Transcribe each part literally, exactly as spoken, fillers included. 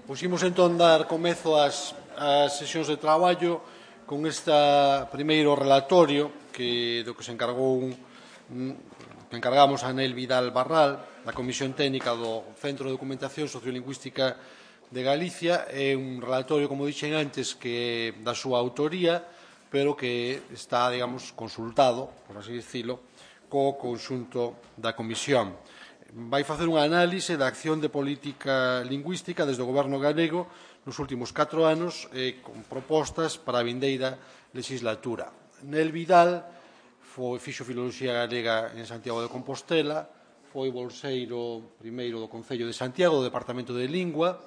Puximos entón dar comezo ás, ás sesións de traballo con esta primeiro relatorio que do que se encargou un, que encargamos a Anel Vidal Barral da Comisión Técnica do Centro de Documentación Sociolingüística de Galicia. É un relatorio, como dixen antes, que é da súa autoría, pero que está, digamos, consultado, por así dicilo, co conxunto da Comisión. Vai facer unha análise da acción de política lingüística desde o Goberno galego nos últimos catro anos eh, con propostas para a vindeira legislatura. Nel Vidal foi, fixo Filoloxía Galega en Santiago de Compostela, foi bolseiro primeiro do Concello de Santiago, do Departamento de Lingua,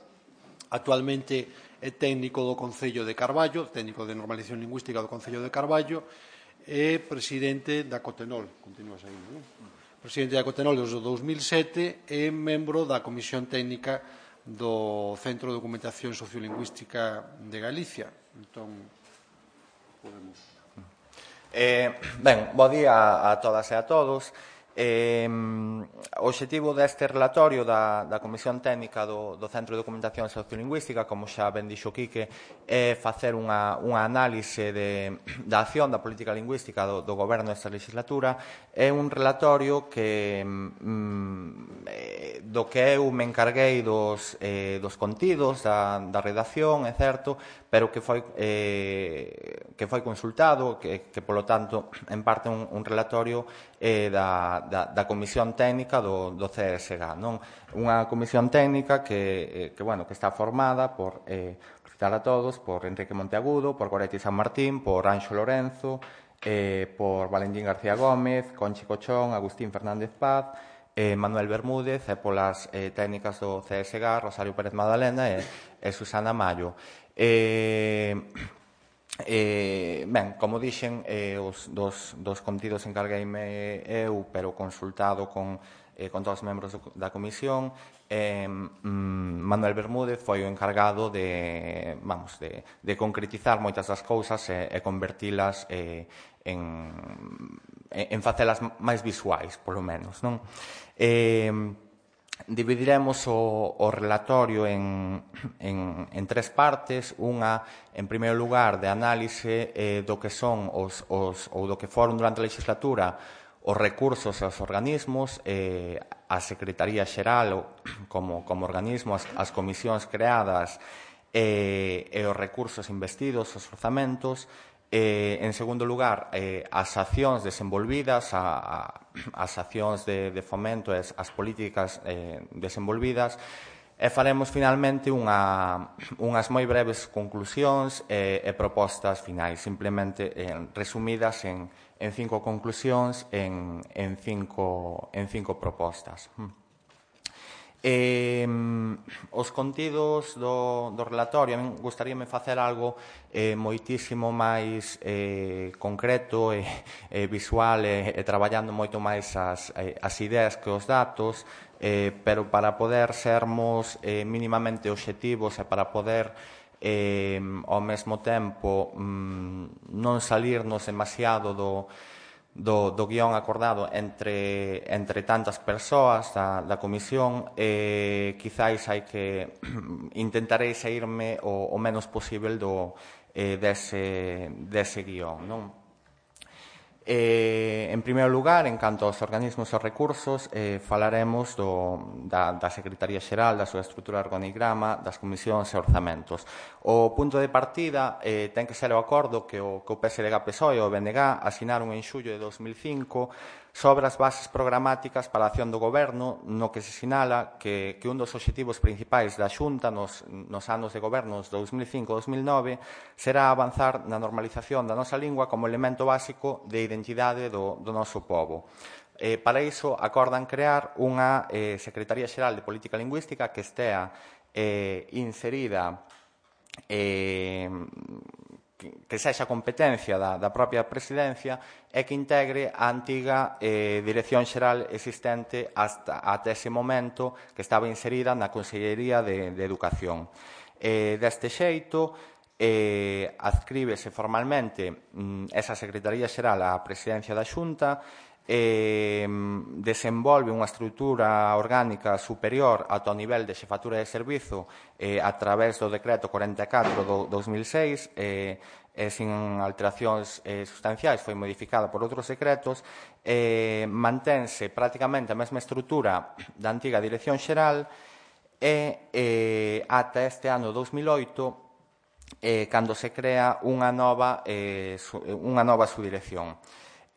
actualmente é técnico do Concello de Carballo, técnico de normalización lingüística do Concello de Carballo, e presidente da Cotenol, continúas aí, non? Presidente da Cotenol desde o dous mil sete e membro da Comisión Técnica do Centro de Documentación Sociolingüística de Galicia. Entón, podemos... Eh, ben, bo día a todas e a todos. Eh, o obxectivo deste relatorio da, da Comisión Técnica do, do Centro de Documentación Sociolingüística, como xa ben dixo Quique, é facer unha, unha análise de, da acción da política lingüística do, do goberno desta legislatura. É un relatorio que mm, do que eu me encarguei dos, eh, dos contidos, da, da redacción, é certo, pero que foi, eh, que foi consultado, que, que polo tanto, en parte un, un relatorio eh, da, da, da Comisión Técnica do, do C S G A, non? Unha comisión técnica que, eh, que, bueno, que está formada por, eh, por citar a todos, por Enrique Monteagudo, por Goretti San Martín, por Anxo Lorenzo, eh, por Valentín García Gómez, Conchi Cochón, Agustín Fernández Paz, eh, Manuel Bermúdez, e polas eh, técnicas do C S G A, Rosario Pérez Madalena e, e Susana Mayo. Eh, eh, ben, como dixen, eh, os dos, dos contidos encargueime eu, pero consultado con, eh, con todos os membros do, da comisión. eh, mm, Manuel Bermúdez foi o encargado de, vamos, de, de concretizar moitas das cousas e, e convertilas eh, en, en facelas máis visuais, polo menos, non? Eh, Dividiremos o, o relatorio en, en, en tres partes. Unha, en primeiro lugar, de análise eh, do que son os, os, ou do que foron durante a legislatura os recursos e os organismos, eh, a Secretaría Xeral como, como organismo, as, as comisións creadas eh, e os recursos investidos, os orzamentos. Eh, en segundo lugar, eh, as accións desenvolvidas, a, a, as accións de, de fomento e as, as políticas eh, desenvolvidas, e faremos finalmente unha, unhas moi breves conclusións e, e propostas finais, simplemente eh, resumidas en, en cinco conclusións, en, en, cinco, en cinco propostas. Eh, os contidos do, do relatorio, a min gustaríame facer algo eh, moitísimo máis eh, concreto e eh, visual e, e traballando moito máis as, eh, as ideas que os datos, eh, pero para poder sermos eh, mínimamente obxectivos e para poder eh, ao mesmo tempo mm, non salirnos demasiado do Do, do guión acordado entre, entre tantas persoas da, da comisión, eh, quizáis hai que intentarei saírme o, o menos posible do, eh, dese, dese guión, non? Eh, en primeiro lugar, en canto aos organismos e recursos, eh, falaremos do, da, da Secretaría Xeral, da súa estrutura organigrama, das comisións e orzamentos. O punto de partida eh, ten que ser o acordo que o, que o P S D G P S O E e o B N G asinaron en xullo de dos mil cinco sobre as bases programáticas para a acción do Goberno, no que se sinala que, que un dos obxectivos principais da Xunta nos, nos anos de gobernos dous mil cinco a dos mil nove será avanzar na normalización da nosa lingua como elemento básico de identidade do, do noso pobo. Eh, para iso, acordan crear unha eh, Secretaría Xeral de Política Lingüística que estea eh, inserida eh, que sexa competencia da, da propia presidencia e que integre a antiga eh, Dirección Xeral existente hasta, hasta ese momento que estaba inserida na Consellería de, de Educación. Eh, deste xeito, eh, adscríbese formalmente mm, esa Secretaría Xeral á Presidencia da Xunta eh, desenvolve unha estrutura orgánica superior ata o nivel de xefatura de servizo eh, a través do decreto cuarenta e catro do dos mil seis, eh, e sin alteracións eh, sustanciais, foi modificada por outros decretos, eh, mantense prácticamente a mesma estrutura da antiga Dirección Xeral e eh, ata este ano dos mil oito, eh, cando se crea unha nova, eh, su, unha nova subdirección.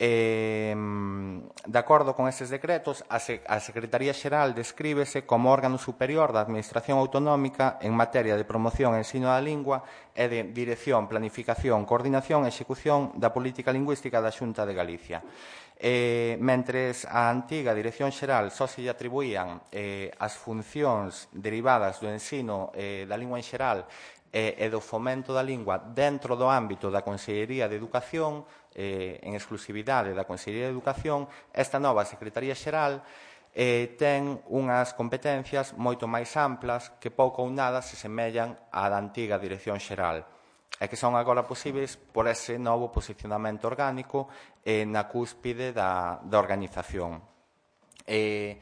Eh, de acordo con estes decretos, a, Se a Secretaría Xeral descríbese como órgano superior da Administración Autonómica en materia de promoción e ensino da lingua e de dirección, planificación, coordinación e execución da política lingüística da Xunta de Galicia. Eh, mentres a antiga Dirección Xeral só se lle atribuían eh, as funcións derivadas do ensino eh, da lingua en xeral e, e do fomento da lingua dentro do ámbito da Consellería de Educación, eh, en exclusividade da Consellería de Educación, esta nova Secretaría Xeral eh, ten unhas competencias moito máis amplas que pouco ou nada se semellan á da antiga Dirección Xeral e que son agora posibles por ese novo posicionamento orgánico eh, na cúspide da, da organización. Eh,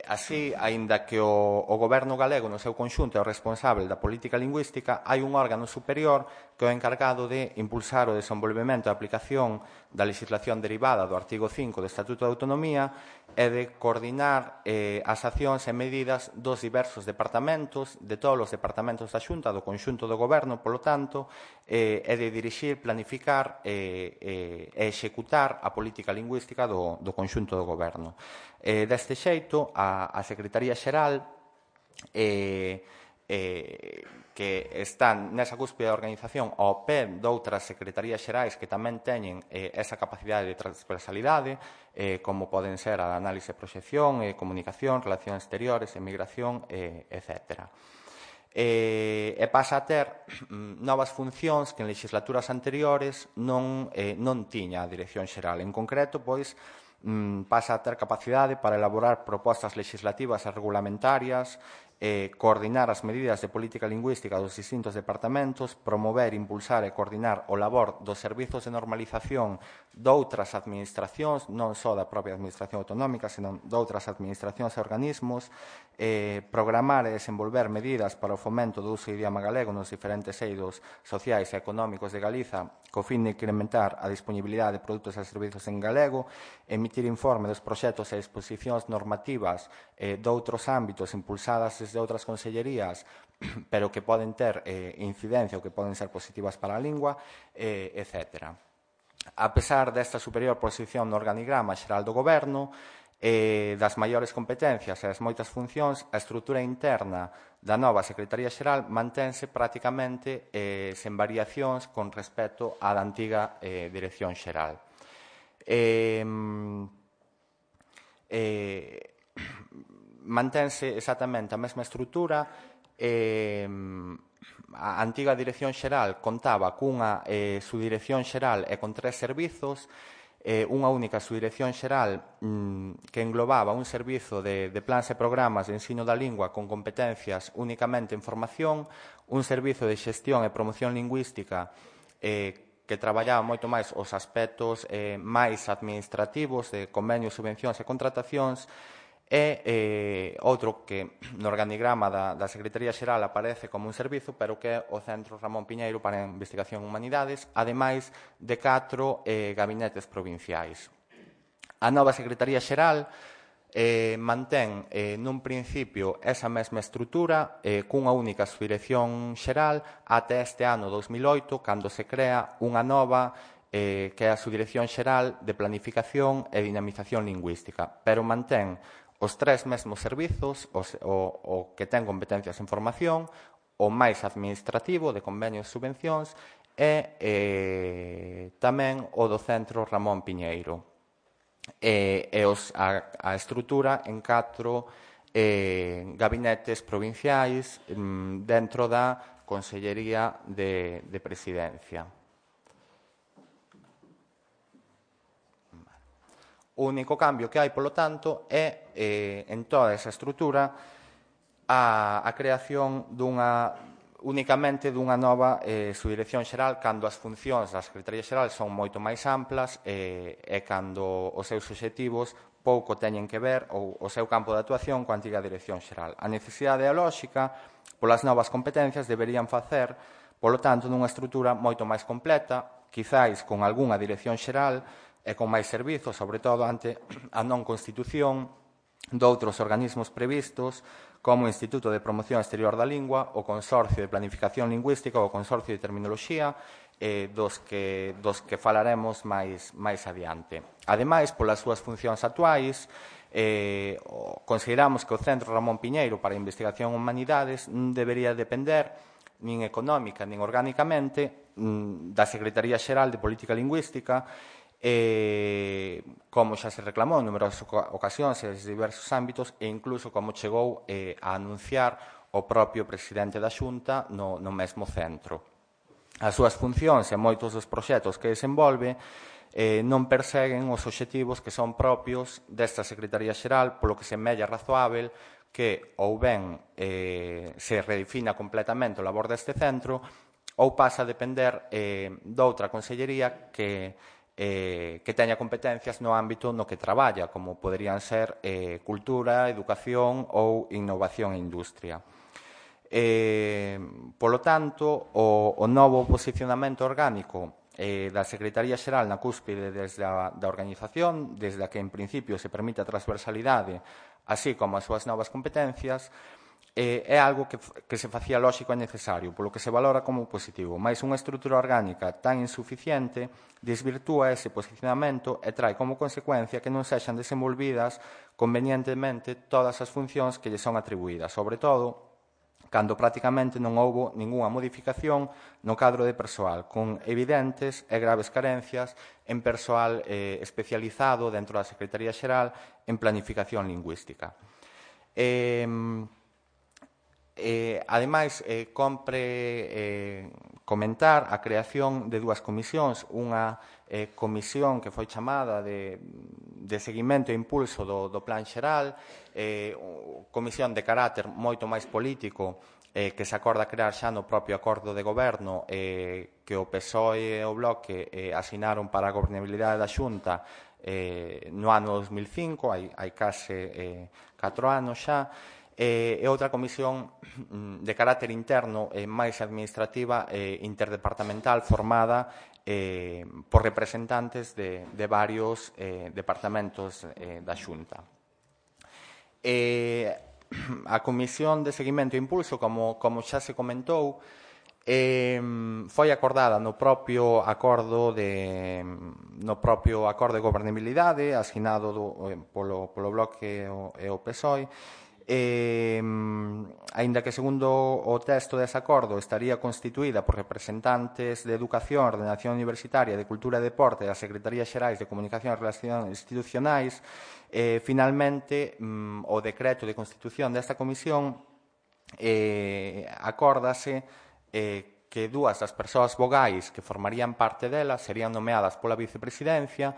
Así, aínda que o, o goberno galego no seu conxunto é o responsable da política lingüística, hai un órgano superior que é o encargado de impulsar o desenvolvemento e aplicación da legislación derivada do artigo cinco do Estatuto de Autonomía e de coordinar eh, as accións e medidas dos diversos departamentos, de todos os departamentos da Xunta, do conxunto do goberno, polo tanto, eh, e de dirixir, planificar eh, eh, e executar a política lingüística do, do conxunto do goberno. Eh, deste xeito, a, a Secretaría Xeral eh, eh, que están nesa cúspide da organización ao pé doutras secretarías xerais que tamén teñen eh, esa capacidade de transversalidade, eh, como poden ser a análise e proxección, eh, comunicación, relacións exteriores, emigración, eh, etcétera. Eh, e pasa a ter mm, novas funcións que en legislaturas anteriores non, eh, non tiña a Dirección Xeral. En concreto, pois, pasa a ter capacidade para elaborar propostas legislativas e regulamentarias, eh, coordinar as medidas de política lingüística dos distintos departamentos, promover, impulsar e coordinar o labor dos servizos de normalización doutras administracións, non só da propia administración autonómica, senón doutras administracións e organismos, eh, programar e desenvolver medidas para o fomento do uso do idioma galego nos diferentes eidos sociais e económicos de Galiza, co fin de incrementar a disponibilidade de produtos e servizos en galego, emitir informe dos proxectos e disposicións normativas eh, doutros ámbitos impulsadas desde outras consellerías, pero que poden ter eh, incidencia ou que poden ser positivas para a lingua, eh, etcétera. A pesar desta superior posición no organigrama xeral do goberno, eh, das maiores competencias e das moitas funcións, a estrutura interna da nova Secretaría Xeral mantense prácticamente eh, sen variacións con respecto á da antiga eh, Dirección Xeral. Eh, eh, mantense exactamente a mesma estrutura. Eh, a antiga Dirección Xeral contaba cunha eh, subdirección xeral e con tres servizos, eh, unha única subdirección xeral mm, que englobaba un servizo de, de plans e programas de ensino da lingua con competencias únicamente en formación, un servizo de xestión e promoción lingüística eh, que traballaba moito máis os aspectos eh, máis administrativos de convenios, subvencións e contratacións, e eh, outro que no organigrama da, da Secretaría Xeral aparece como un servizo, pero que é o Centro Ramón Piñeiro para a Investigación en Humanidades, ademais de catro eh, gabinetes provinciais. A nova Secretaría Xeral eh, mantén eh, nun principio esa mesma estrutura eh, cunha única subdirección xeral até este ano dos mil oito, cando se crea unha nova eh, que é a Subdirección Xeral de Planificación e Dinamización Lingüística, pero mantén os tres mesmos servizos, os, o, o que ten competencias en formación, o máis administrativo de convenios e subvencións e eh, tamén o do Centro Ramón Piñeiro. E, e os, a, a estrutura en catro eh, gabinetes provinciais mm, dentro da Consellería de, de Presidencia. O único cambio que hai, polo tanto, é, eh, en toda esa estrutura, a, a creación dunha únicamente dunha nova eh, subdirección xeral cando as funcións da Secretaría Xeral son moito máis amplas eh, e cando os seus obxectivos pouco teñen que ver ou o seu campo de actuación coa antiga Dirección Xeral. A necesidade e a lógica polas novas competencias deberían facer, polo tanto, nunha estrutura moito máis completa, quizáis con algunha Dirección Xeral e con máis servizos, sobre todo ante a non constitución doutros organismos previstos como o Instituto de Promoción Exterior da Lingua, o Consorcio de Planificación Lingüística ou o Consorcio de Terminoloxía, eh, dos, que, dos que falaremos máis, máis adiante. Ademais, polas súas funcións actuais, eh, consideramos que o Centro Ramón Piñeiro para a Investigación en Humanidades non debería depender nin económica nin orgánicamente da Secretaría Xeral de Política Lingüística, eh, como xa se reclamou en numerosas ocasións e en diversos ámbitos e incluso como chegou eh, a anunciar o propio presidente da Xunta no, no mesmo centro. As súas funcións e moitos dos proxectos que desenvolve eh, non perseguen os obxectivos que son propios desta Secretaría Xeral, polo que se mella razoável que ou ben eh, se redefina completamente o labor deste centro ou pasa a depender eh, doutra consellería que Eh, que teña competencias no ámbito no que traballa, como poderían ser eh, cultura, educación ou innovación e industria. Eh, polo tanto, o, o novo posicionamento orgánico eh, da Secretaría Xeral na cúspide desde a, da organización, desde a que en principio se permite a transversalidade, así como as súas novas competencias, Eh, é algo que, que se facía lóxico e necesario, polo que se valora como positivo, mais unha estrutura orgánica tan insuficiente desvirtúa ese posicionamento e trae como consecuencia que non sexan desenvolvidas convenientemente todas as funcións que lle son atribuídas, sobre todo cando prácticamente non houbo ningunha modificación no cadro de persoal, con evidentes e graves carencias en persoal eh, especializado dentro da Secretaría Xeral en planificación lingüística. Eh, Eh, ademais, eh, compre eh, comentar a creación de dúas comisións, unha eh, comisión que foi chamada de, de seguimento e impulso do, do Plan Xeral, eh, comisión de carácter moito máis político, eh, que se acorda crear xa no propio acordo de goberno eh, que o P S O E e o Bloque eh, asinaron para a gobernabilidade da Xunta eh, no ano dos mil cinco, hai, hai case eh, catro anos xa, e outra comisión de carácter interno e máis administrativa e interdepartamental formada eh, por representantes de, de varios eh, departamentos eh, da Xunta. Eh, a Comisión de Seguimento e Impulso, como, como xa se comentou, eh, foi acordada no propio acordo de no propio acordo de gobernabilidade asinado do, eh, polo, polo Bloque e o, e o P S O E. Eh, aínda que segundo o texto dese acordo estaría constituída por representantes de Educación, Ordenación Universitaria, de Cultura e Deporte e as Secretarías Xerais de Comunicación e Relacións Institucionais, eh, finalmente mm, o decreto de constitución desta comisión eh, acórdase eh, que dúas das persoas vogais que formarían parte dela serían nomeadas pola vicepresidencia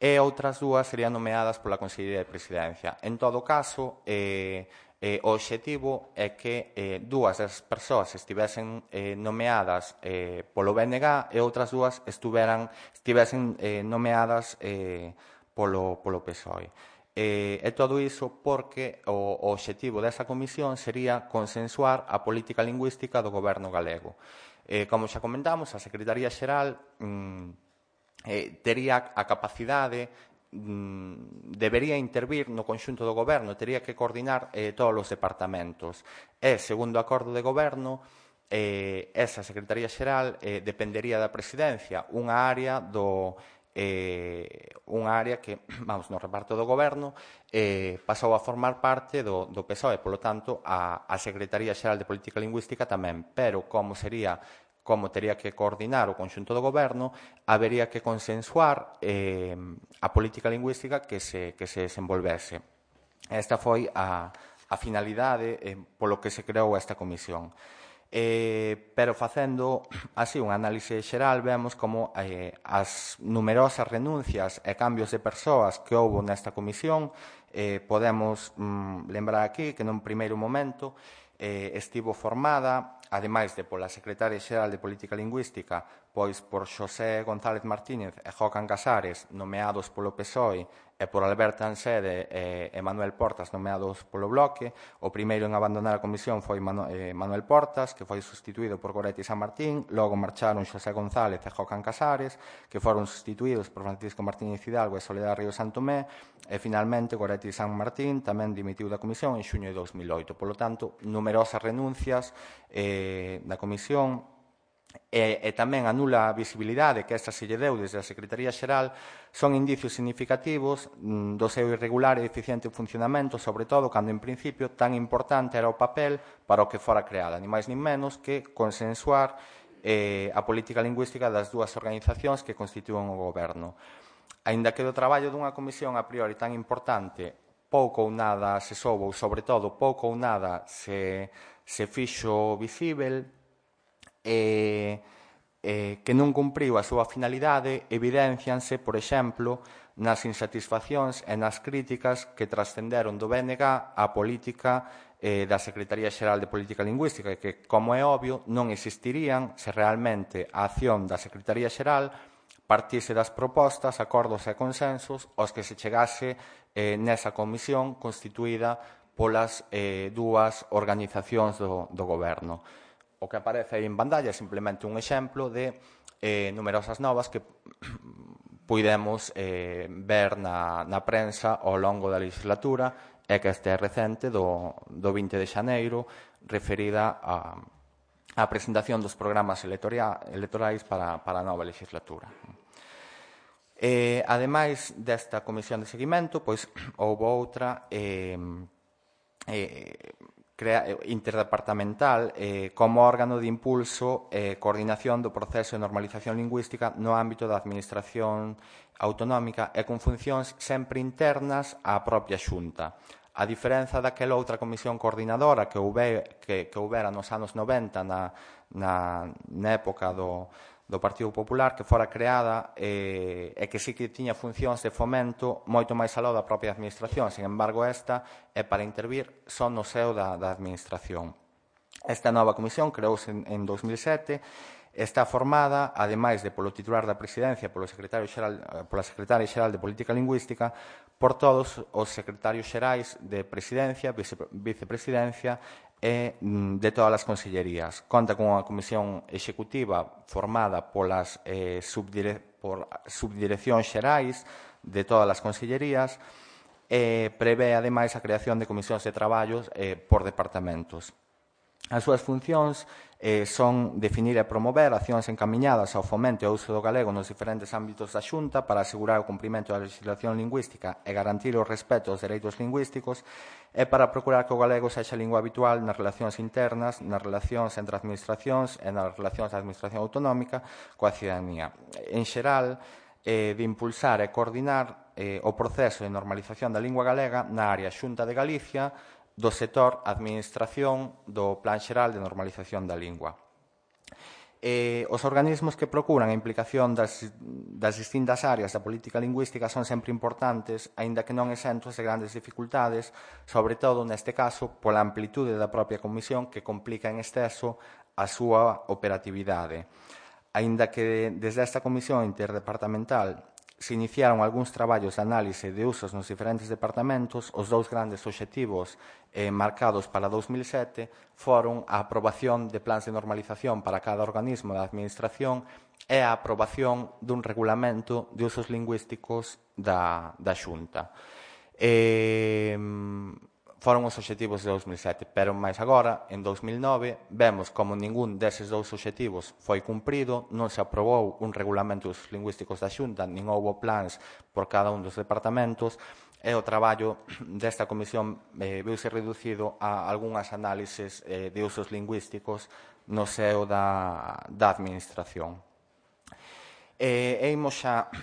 e outras dúas serían nomeadas pola Consellería de Presidencia. En todo caso, eh, eh, o obxectivo é que eh, dúas das persoas estivesen eh, nomeadas eh, polo B N G e outras dúas estuveran, estivesen eh, nomeadas eh, polo, polo P S O E. Eh, e todo iso porque o, o obxectivo desa comisión sería consensuar a política lingüística do goberno galego. Eh, como xa comentamos, a Secretaría Xeral mm, Eh, tería a capacidade, mm, debería intervir no conxunto do goberno, tería que coordinar eh, todos os departamentos. E, segundo o acordo de goberno, eh, esa Secretaría Xeral eh, dependería da presidencia, unha área do eh, unha área que, vamos, no reparto do goberno eh, pasou a formar parte do, do P S O E, polo tanto, a, a Secretaría Xeral de Política Lingüística tamén, pero como sería como tería que coordinar o conxunto do goberno, habería que consensuar eh, a política lingüística que se, que se desenvolvese. Esta foi a, a finalidade eh, polo que se creou esta comisión. Eh, pero facendo así un análise xeral, vemos como eh, as numerosas renuncias e cambios de persoas que houbo nesta comisión, eh, podemos mm, lembrar aquí que nun primeiro momento eh, estivo formada ademais de pola Secretaria Xeral de Política Lingüística, pois por Xosé González Martínez e Jocan Casares, nomeados polo P S O E, e por Alberto Ansede e Manuel Portas, nomeados polo Bloque. O primeiro en abandonar a comisión foi Manuel Portas, que foi sustituído por Goretti San Martín. Logo marcharon Xosé González e Jocan Casares, que foron sustituídos por Francisco Martínez Hidalgo e Soledad Río Santomé. E, finalmente, Goretti San Martín tamén dimitiu da comisión en xuño de dous mil oito. Polo tanto, numerosas renuncias eh, da comisión e, e tamén a nula visibilidade que esta se lle deu desde a Secretaría Xeral son indicios significativos mm, do seu irregular e eficiente funcionamento, sobre todo cando en principio tan importante era o papel para o que fora creada, ni máis ni menos que consensuar eh, a política lingüística das dúas organizacións que constitúen o goberno. Aínda que do traballo dunha comisión a priori tan importante pouco ou nada se soubo, ou sobre todo pouco ou nada se, se fixo visível, e eh, que non cumpriu a súa finalidade, evidencianse, por exemplo, nas insatisfaccións e nas críticas que trascenderon do B N G á política eh, da Secretaría Xeral de Política Lingüística, que, como é obvio, non existirían se realmente a acción da Secretaría Xeral partise das propostas, acordos e consensos aos que se chegase eh, nesa comisión constituída polas eh, dúas organizacións do, do goberno. O que aparece aí en pantalla é simplemente un exemplo de eh, numerosas novas que puidemos eh, ver na, na prensa ao longo da legislatura e que este é recente do, do vinte de xaneiro, referida a, a presentación dos programas electorais para, para a nova legislatura. Eh, ademais desta comisión de seguimento, pois houve outra eh, eh, interdepartamental eh, como órgano de impulso e eh, coordinación do proceso de normalización lingüística no ámbito da administración autonómica e con funcións sempre internas á propia Xunta. A diferenza daquela outra comisión coordinadora que, houve, que, que houbera nos anos noventa na, na, na época do, do Partido Popular, que fora creada eh, e que sí que tiña funcións de fomento moito máis aló da propia administración. Sin embargo, esta é para intervir só no seo da, da administración. Esta nova comisión creouse en, en dos mil sete, está formada, ademais de polo titular da presidencia, polo secretario xeral, pola secretaria xeral de Política Lingüística, por todos os secretarios xerais de presidencia, vice, vicepresidencia e de todas as consellerías. Conta con unha comisión executiva formada polas eh, subdire, por subdireccións xerais de todas as consellerías e prevé, ademais, a creación de comisións de traballos eh, por departamentos. As súas funcións eh, son definir e promover accións encamiñadas ao fomento e ao uso do galego nos diferentes ámbitos da Xunta para asegurar o cumprimento da legislación lingüística e garantir o respeto aos dereitos lingüísticos e para procurar que o galego sexa lingua habitual nas relacións internas, nas relacións entre administracións e nas relacións da administración autonómica coa cidadanía. En xeral, eh, de impulsar e coordinar eh, o proceso de normalización da lingua galega na área Xunta de Galicia, do sector administración do Plan Xeral de Normalización da Lingua. Eh, os organismos que procuran a implicación das, das distintas áreas da política lingüística son sempre importantes, aínda que non exentos de grandes dificultades, sobre todo, neste caso, pola amplitude da propia comisión que complica en exceso a súa operatividade. Aínda que desde esta comisión interdepartamental se iniciaron algúns traballos de análise de usos nos diferentes departamentos, os dous grandes obxectivos eh, marcados para dous mil sete foron a aprobación de plans de normalización para cada organismo da administración e a aprobación dun regulamento de usos lingüísticos da, da Xunta. Eh, foron os obxectivos de dous mil sete, pero máis agora, en dous mil nove, vemos como ningún deses dous obxectivos foi cumprido, non se aprobou un regulamento dos lingüísticos da Xunta, nin houbo plans por cada un dos departamentos, e o traballo desta comisión eh, viuse reducido a algunhas análises eh, de usos lingüísticos no seo da, da administración. E imos xa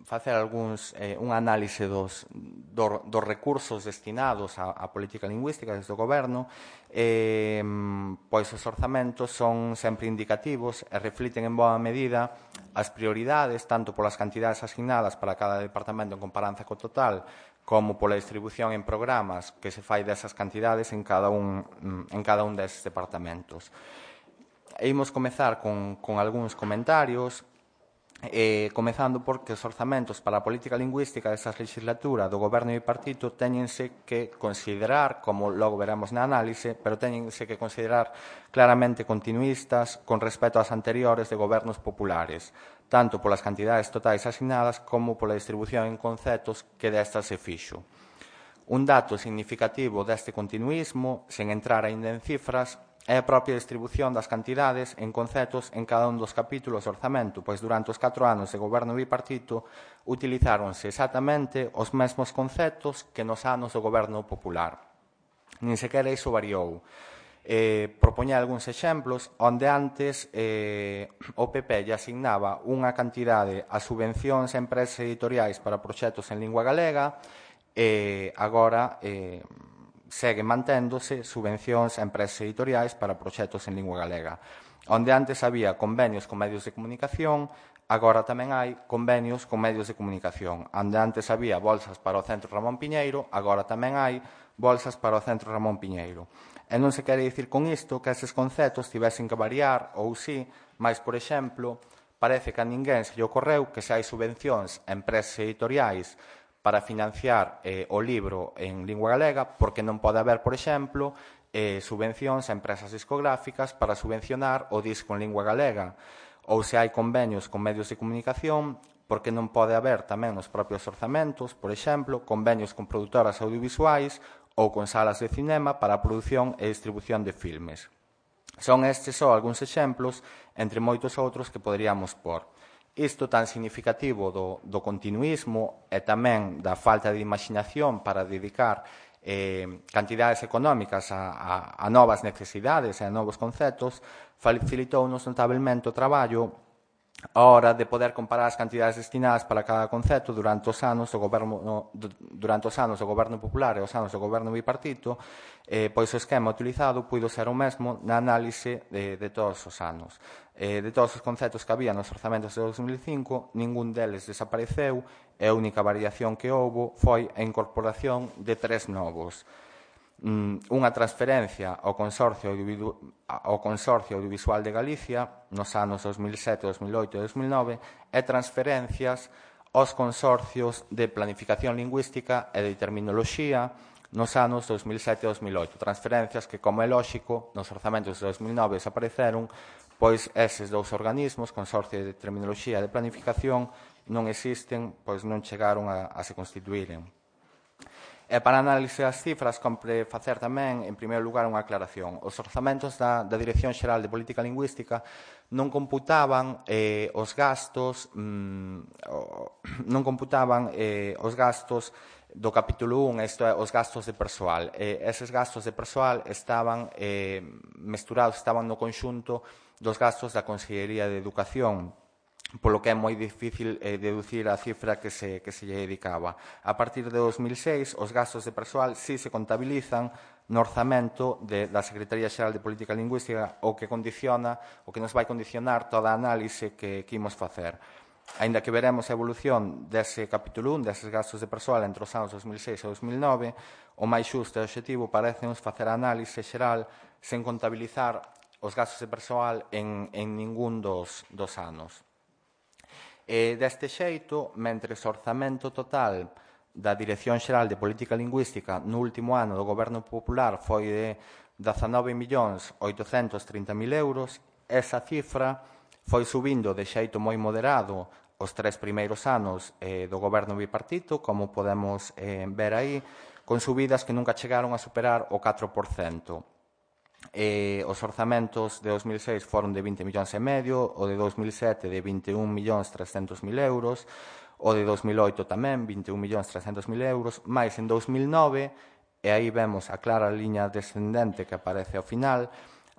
facer algúns, eh, un análise dos, do, dos recursos destinados á, á política lingüística desde o goberno. Eh, pois os orzamentos son sempre indicativos e refliten en boa medida as prioridades, tanto polas cantidades asignadas para cada departamento en comparanza co total, como pola distribución en programas que se fai desas cantidades en cada un, en cada un deses departamentos. imos comezar con, con algúns comentarios, eh, comezando porque os orzamentos para a política lingüística desta legislatura do Goberno bipartito teñense que considerar, como logo veremos na análise, pero teñense que considerar claramente continuistas con respecto ás anteriores de gobernos populares, tanto polas cantidades totais asignadas como pola distribución en conceptos que destas se fixo. Un dato significativo deste continuismo, sen entrar aínda en cifras, é a propia distribución das cantidades en conceptos en cada un dos capítulos do orzamento, pois durante os catro anos de goberno bipartito utilizáronse exactamente os mesmos conceptos que nos anos do goberno popular. Nin sequera iso variou. Eh, propoña algúns exemplos onde antes eh, o P P lle asignaba unha cantidade a subvencións a empresas editoriais para proxectos en lingua galega e agora eh, segue manténdose subvencións a empresas editoriais para proxectos en lingua galega. Onde antes había convenios con medios de comunicación, agora tamén hai convenios con medios de comunicación. Onde antes había bolsas para o Centro Ramón Piñeiro, agora tamén hai bolsas para o Centro Ramón Piñeiro. E non se quere dicir con isto que eses conceptos tivesen que variar ou sí, mas, por exemplo, parece que a ninguén se lle ocorreu que se hai subvencións a empresas editoriais para financiar eh, o libro en lingua galega, porque non pode haber, por exemplo, eh, subvencións a empresas discográficas para subvencionar o disco en lingua galega, ou se hai convenios con medios de comunicación, porque non pode haber tamén nos propios orzamentos, por exemplo, convenios con produtoras audiovisuais ou con salas de cinema para a produción e distribución de filmes. Son estes só algúns exemplos, entre moitos outros que poderíamos pôr. Isto tan significativo do, do continuismo e tamén da falta de imaginación para dedicar eh, cantidades económicas a, a, a novas necesidades e a novos conceptos, facilitounos notablemente o traballo a hora de poder comparar as cantidades destinadas para cada concepto durante os anos do goberno, no, durante os anos do goberno popular e os anos do goberno bipartito, eh, pois o esquema utilizado puido ser o mesmo na análise de, de todos os anos. Eh, de todos os conceptos que había nos orzamentos de dos mil cinco, ningún deles desapareceu e a única variación que houbo foi a incorporación de tres novos. Unha transferencia ao Consorcio, ao Consorcio Audiovisual de Galicia nos anos dos mil sete, dos mil oito e dos mil nove e transferencias aos consorcios de planificación lingüística e de terminoloxía nos anos dos mil sete e dos mil oito. Transferencias que, como é lóxico, nos orzamentos de dos mil nove desapareceron, pois eses dous organismos, Consorcio de Terminoloxía e de Planificación, non existen, pois non chegaron a, a se constituíren. E para análise das cifras, compre facer tamén, en primeiro lugar, unha aclaración. Os orzamentos da, da Dirección Xeral de Política Lingüística non computaban eh, os gastos mmm, non computaban eh, os gastos do capítulo un, isto é, os gastos de persoal. Eh, eses gastos de persoal estaban eh, mesturados, estaban no conxunto dos gastos da Consellería de Educación, polo que é moi difícil eh, deducir a cifra que se, que se lle dedicaba. A partir de dos mil seis, os gastos de persoal sí se contabilizan no orzamento de, da Secretaría Xeral de Política Lingüística, o que condiciona, o que nos vai condicionar toda a análise que, que imos facer. Aínda que veremos a evolución dese capítulo un, deses gastos de persoal entre os anos dos mil seis e dos mil nove, o máis xusto e obxectivo parece-nos facer a análise xeral sen contabilizar os gastos de persoal en, en ningún dos, dos anos. E deste xeito, mentres o orzamento total da Dirección Xeral de Política Lingüística no último ano do Goberno Popular foi de dezanove millóns oitocentos trinta mil euros, esa cifra foi subindo de xeito moi moderado os tres primeiros anos eh, do Goberno bipartito, como podemos eh, ver aí, con subidas que nunca chegaron a superar o catro por cento. Eh, os orzamentos de dos mil seis foron de vinte millóns e medio, o de dos mil sete de vinte e un millóns trescentos mil euros, o de dos mil oito tamén vinte e un millóns trescentos mil euros, máis en dos mil nove, e aí vemos a clara liña descendente que aparece ao final,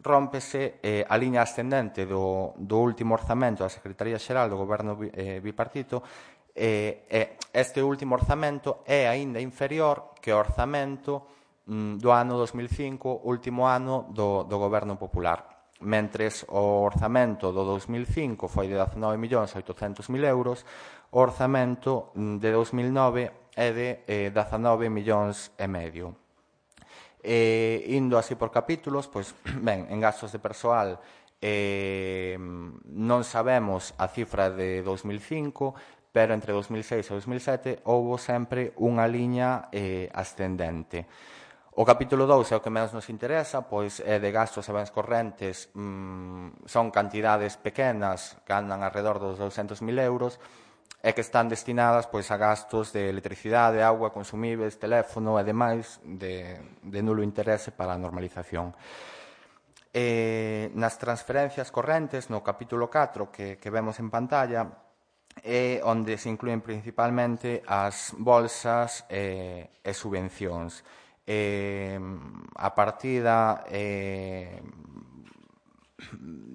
rómpese eh, a liña ascendente do, do último orzamento da Secretaría Xeral do Goberno eh, bipartito, e eh, este último orzamento é aínda inferior que o orzamento do ano dos mil cinco, último ano do, do Goberno Popular. Mentres o orzamento do dos mil cinco foi de dezanove millóns oitocentos mil euros, o orzamento de dos mil nove é de eh, dezanove millóns e medio. E, indo así por capítulos, pois, ben, en gastos de persoal Eh, non sabemos a cifra de dos mil cinco, pero entre dos mil seis e dos mil sete houbo sempre unha liña eh, ascendente. O capítulo dous é o que menos nos interesa, pois é de gastos e bens correntes, mmm, son cantidades pequenas que andan alrededor dos douscentos mil euros e que están destinadas pois, a gastos de electricidade, agua, consumíveis, teléfono e demais de, de nulo interese para a normalización. Eh, nas transferencias correntes, no capítulo catro que, que vemos en pantalla, é onde se incluen principalmente as bolsas eh, e subvencións. Eh, a partida eh,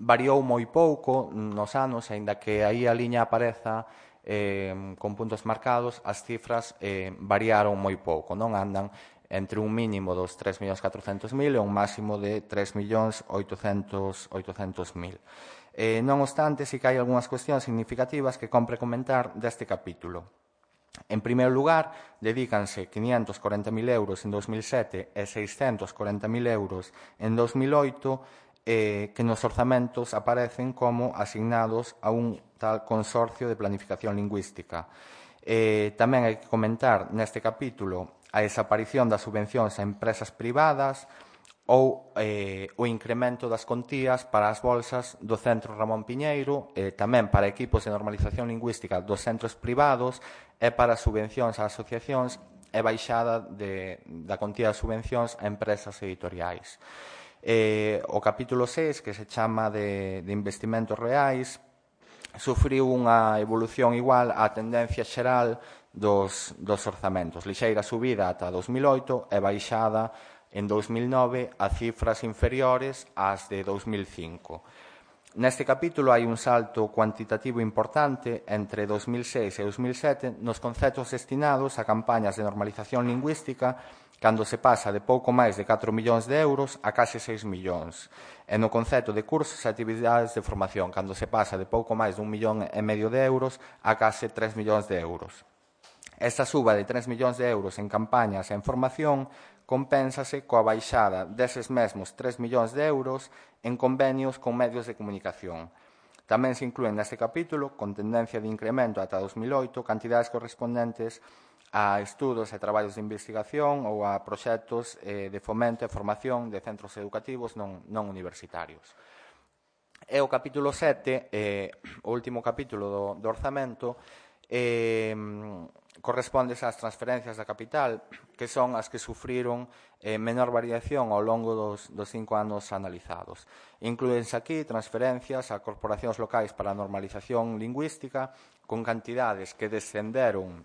variou moi pouco nos anos, aínda que aí a liña apareza eh, con puntos marcados, as cifras eh, variaron moi pouco, non andan entre un mínimo dos tres millóns catrocentos mil e un máximo de tres millóns oitocentos mil. Eh, non obstante, si que hai algunhas cuestións significativas que compre comentar deste capítulo. En primeiro lugar, dedícanse quinientos corenta mil euros en dos mil sete e seiscentos corenta mil euros en dos mil oito eh, que nos orzamentos aparecen como asignados a un tal consorcio de planificación lingüística. Eh, tamén hai que comentar neste capítulo a desaparición das subvencións a empresas privadas ou eh, o incremento das contías para as bolsas do Centro Ramón Piñeiro, eh, tamén para equipos de normalización lingüística dos centros privados e para subvencións a asociacións e baixada de, da contía de subvencións a empresas editoriais. Eh, o capítulo seis, que se chama de, de investimentos reais, sufriu unha evolución igual á tendencia xeral dos, dos orzamentos. Lixeira subida ata dos mil oito e baixada en dos mil nove a cifras inferiores ás de dos mil cinco. Neste capítulo hai un salto cuantitativo importante entre dos mil seis e dos mil sete nos conceptos destinados a campañas de normalización lingüística cando se pasa de pouco máis de catro millóns de euros a case seis millóns. E no concepto de cursos e actividades de formación, cando se pasa de pouco máis de un millón e medio de euros a case tres millóns de euros. Esta suba de tres millóns de euros en campañas e en formación compénsase coa baixada deses mesmos tres millóns de euros en convenios con medios de comunicación. Tamén se inclúen neste capítulo, con tendencia de incremento ata dos mil oito, cantidades correspondentes a estudos e traballos de investigación ou a proxectos eh, de fomento e formación de centros educativos non, non universitarios. E o capítulo sete, eh, o último capítulo do, do orzamento, eh, corresponde ás transferencias da capital, que son as que sufriron eh, menor variación ao longo dos, dos cinco anos analizados. Inclúense aquí transferencias a corporacións locais para a normalización lingüística con cantidades que descenderon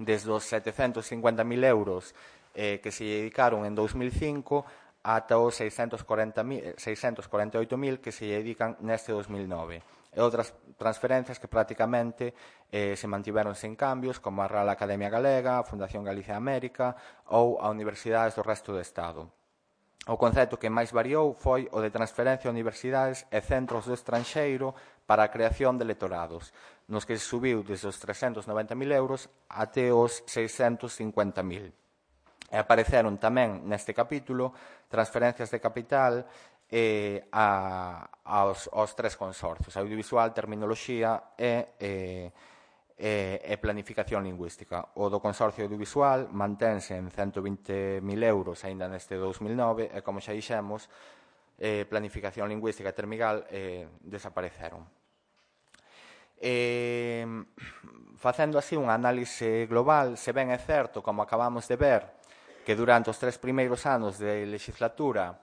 desde os setecentos cincuenta mil euros eh, que se dedicaron en dos mil cinco ata os seiscentos corenta e oito mil que se dedican neste dos mil nove. E outras transferencias que prácticamente eh, se mantiveron sen cambios, como a Real Academia Galega, a Fundación Galicia América ou a universidades do resto do Estado. O concepto que máis variou foi o de transferencia a universidades e centros do estranxeiro para a creación de lectorados, nos que se subiu desde os trescentos noventa mil euros até os seiscentos cincuenta mil. E apareceron tamén neste capítulo transferencias de capital eh, a, aos, aos tres consorcios, audiovisual, terminoloxía e, eh, e, e planificación lingüística. O do consorcio audiovisual mantense en cento vinte mil euros aínda neste dos mil nove e, como xa dixemos, eh, planificación lingüística e termigal eh, desapareceron. Eh, facendo así un análise global, se ben é certo, como acabamos de ver, que durante os tres primeiros anos de legislatura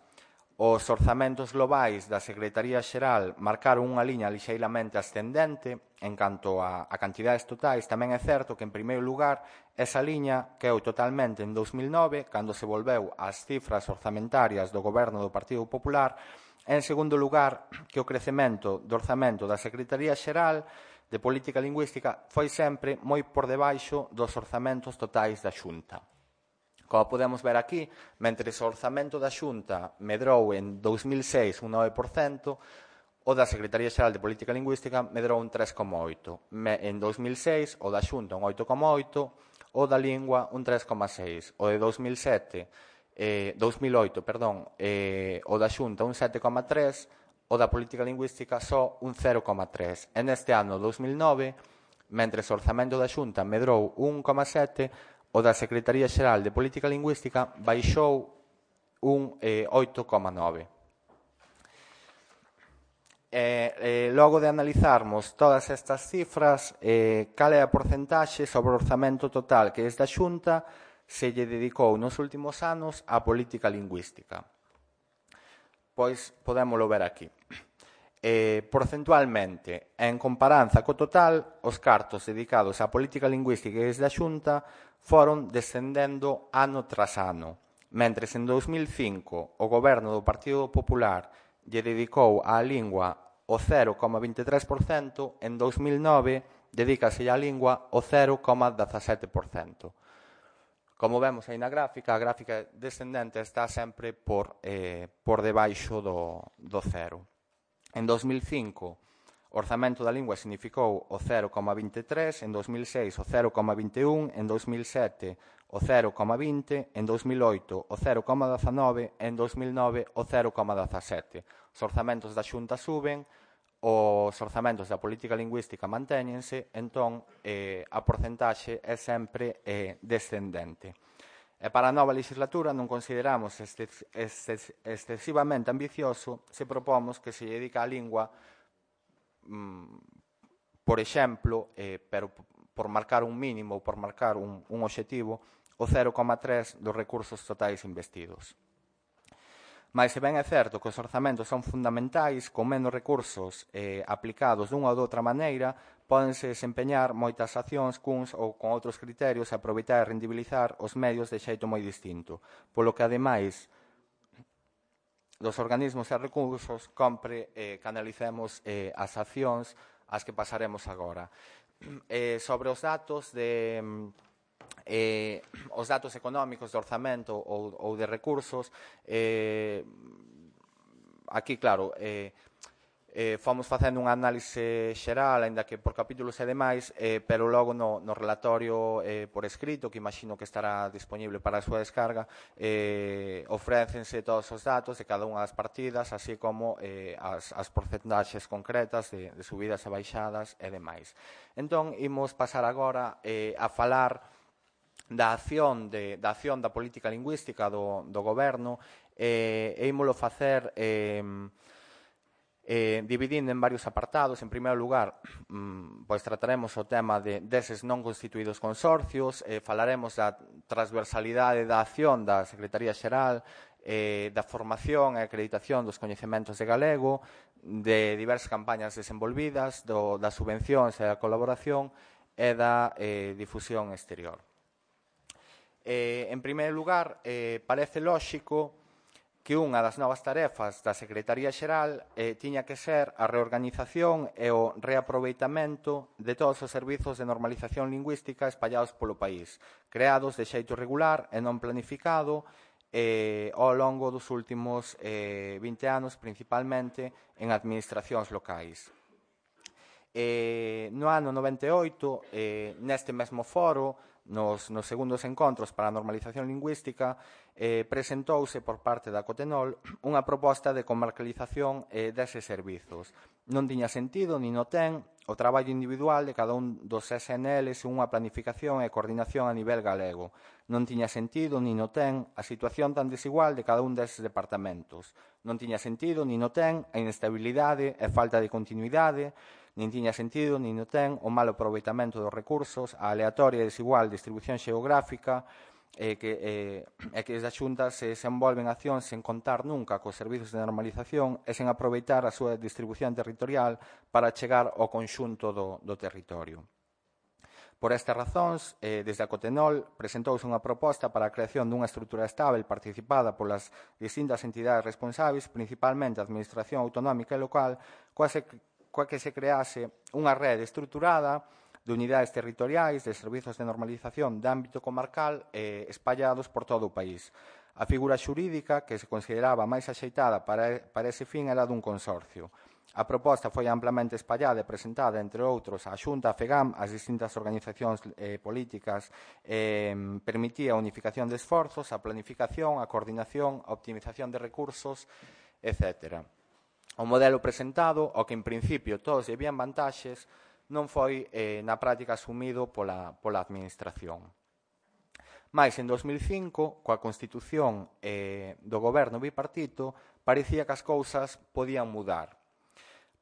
os orzamentos globais da Secretaría Xeral marcaron unha liña lixeiramente ascendente en canto a, a cantidades totais. Tamén é certo que, en primeiro lugar, esa liña quedou totalmente en dos mil nove, cando se volveu ás cifras orzamentarias do goberno do Partido Popular. En segundo lugar, que o crecemento do orzamento da Secretaría Xeral de Política Lingüística foi sempre moi por debaixo dos orzamentos totais da Xunta. Como podemos ver aquí, mentre o orzamento da Xunta medrou en dos mil seis un nove por cento, o da Secretaría Xeral de Política Lingüística medrou un tres coma oito por cento. En dos mil seis, o da Xunta un oito coma oito por cento, o da Lingua un tres coma seis por cento. O de dos mil sete, eh, dos mil oito, perdón, eh, o da Xunta un sete coma tres por cento, o da política lingüística só un cero coma tres. E neste ano dous mil nove, mentre o orzamento da Xunta medrou un coma sete, o da Secretaría Xeral de Política Lingüística baixou un eh, oito coma nove. E, eh, logo de analizarmos todas estas cifras, eh, cal é a porcentaxe sobre o orzamento total que desde a Xunta se lle dedicou nos últimos anos á política lingüística? Pois podémolo ver aquí. Eh, porcentualmente, en comparanza co total, os cartos dedicados á política lingüística desde a Xunta foron descendendo ano tras ano, mentres en dous mil cinco o goberno do Partido Popular lle dedicou á lingua o cero coma vinte e tres por cento, en dous mil nove dedícase á lingua o cero coma dezasete por cento. Como vemos aí na gráfica, a gráfica descendente está sempre por, eh, por debaixo do, do cero. En dous mil cinco, o orzamento da lingua significou o cero coma vinte e tres, en dous mil seis o cero coma vinte e un, en dous mil sete o cero coma vinte, en dous mil oito o cero coma dezanove, en dous mil nove o cero coma dezasete. Os orzamentos da Xunta suben, os orzamentos da política lingüística mantéñense, entón eh, a porcentaxe é sempre eh, descendente. E para a nova legislatura non consideramos excesivamente ambicioso se propomos que se dedica a lingua, mm, por exemplo, eh, pero por marcar un mínimo ou por marcar un, un obxectivo, o cero coma tres dos recursos totais investidos. Mais se ben é certo que os orzamentos son fundamentais, con menos recursos eh, aplicados dunha ou doutra maneira, pódense desempeñar moitas accións cuns ou con outros criterios e aproveitar e rendibilizar os medios de xeito moi distinto, polo que, ademais dos organismos e recursos, compre eh, que analicemos eh, as accións ás que pasaremos agora. Eh, sobre os datos de... Eh, os datos económicos de orzamento ou, ou de recursos, eh, aquí, claro, eh, eh, fomos facendo unha análise xeral, aínda que por capítulos e demais, eh, pero logo no, no relatorio eh, por escrito, que imagino que estará disponible para a súa descarga, eh, ofrécense todos os datos de cada unha das partidas, así como eh, as, as porcentaxes concretas de, de subidas e baixadas e demais. Entón, imos pasar agora eh, a falar da acción, de, da acción da política lingüística do, do goberno, eh, e ímolo facer eh, eh, dividindo en varios apartados. En primeiro lugar, mm, pois trataremos o tema de deses non constituídos consorcios, eh, falaremos da transversalidade da acción da Secretaría Xeral, eh, da formación e acreditación dos coñecementos de galego, de diversas campañas desenvolvidas, do, das subvencións e da colaboración e da eh, difusión exterior. Eh, en primeiro lugar, eh, parece lóxico que unha das novas tarefas da Secretaría Xeral eh, tiña que ser a reorganización e o reaproveitamento de todos os servizos de normalización lingüística espallados polo país, creados de xeito regular e non planificado eh, ao longo dos últimos eh, vinte anos, principalmente en administracións locais. Eh, no ano noventa e oito, eh, neste mesmo foro, nos, nos segundos encontros para a normalización lingüística, eh, presentouse por parte da Cotenol unha proposta de comarcalización eh, deses servizos. Non tiña sentido, ni no ten, o traballo individual de cada un dos S N Ls unha planificación e coordinación a nivel galego. Non tiña sentido, ni no ten, a situación tan desigual de cada un deses departamentos. Non tiña sentido, ni no ten, a inestabilidade e falta de continuidade, nin tiña sentido, nin no ten, o mal aproveitamento dos recursos, a aleatoria e desigual distribución xeográfica, e que, eh, e que desde a Xunta se desenvolven accións sen contar nunca cos servizos de normalización e sen aproveitar a súa distribución territorial para chegar ao conxunto do, do territorio. Por estas razóns, eh, desde a Cotenol presentouse unha proposta para a creación dunha estrutura estável participada polas distintas entidades responsáveis, principalmente a Administración Autonómica e Local, coa se coa que se crease unha rede estruturada de unidades territoriais de servizos de normalización de ámbito comarcal eh, espallados por todo o país. A figura xurídica que se consideraba máis axeitada para, para ese fin era dun consorcio. A proposta foi amplamente espallada e presentada, entre outros, á Xunta, a FEGAM, as distintas organizacións eh, políticas, eh, permitía a unificación de esforzos, a planificación, a coordinación, a optimización de recursos, etcétera. O modelo presentado, ao que en principio todos lle vían vantaxes, non foi eh, na práctica asumido pola, pola administración. Mais, en dos mil cinco, coa constitución eh, do goberno bipartito, parecía que as cousas podían mudar.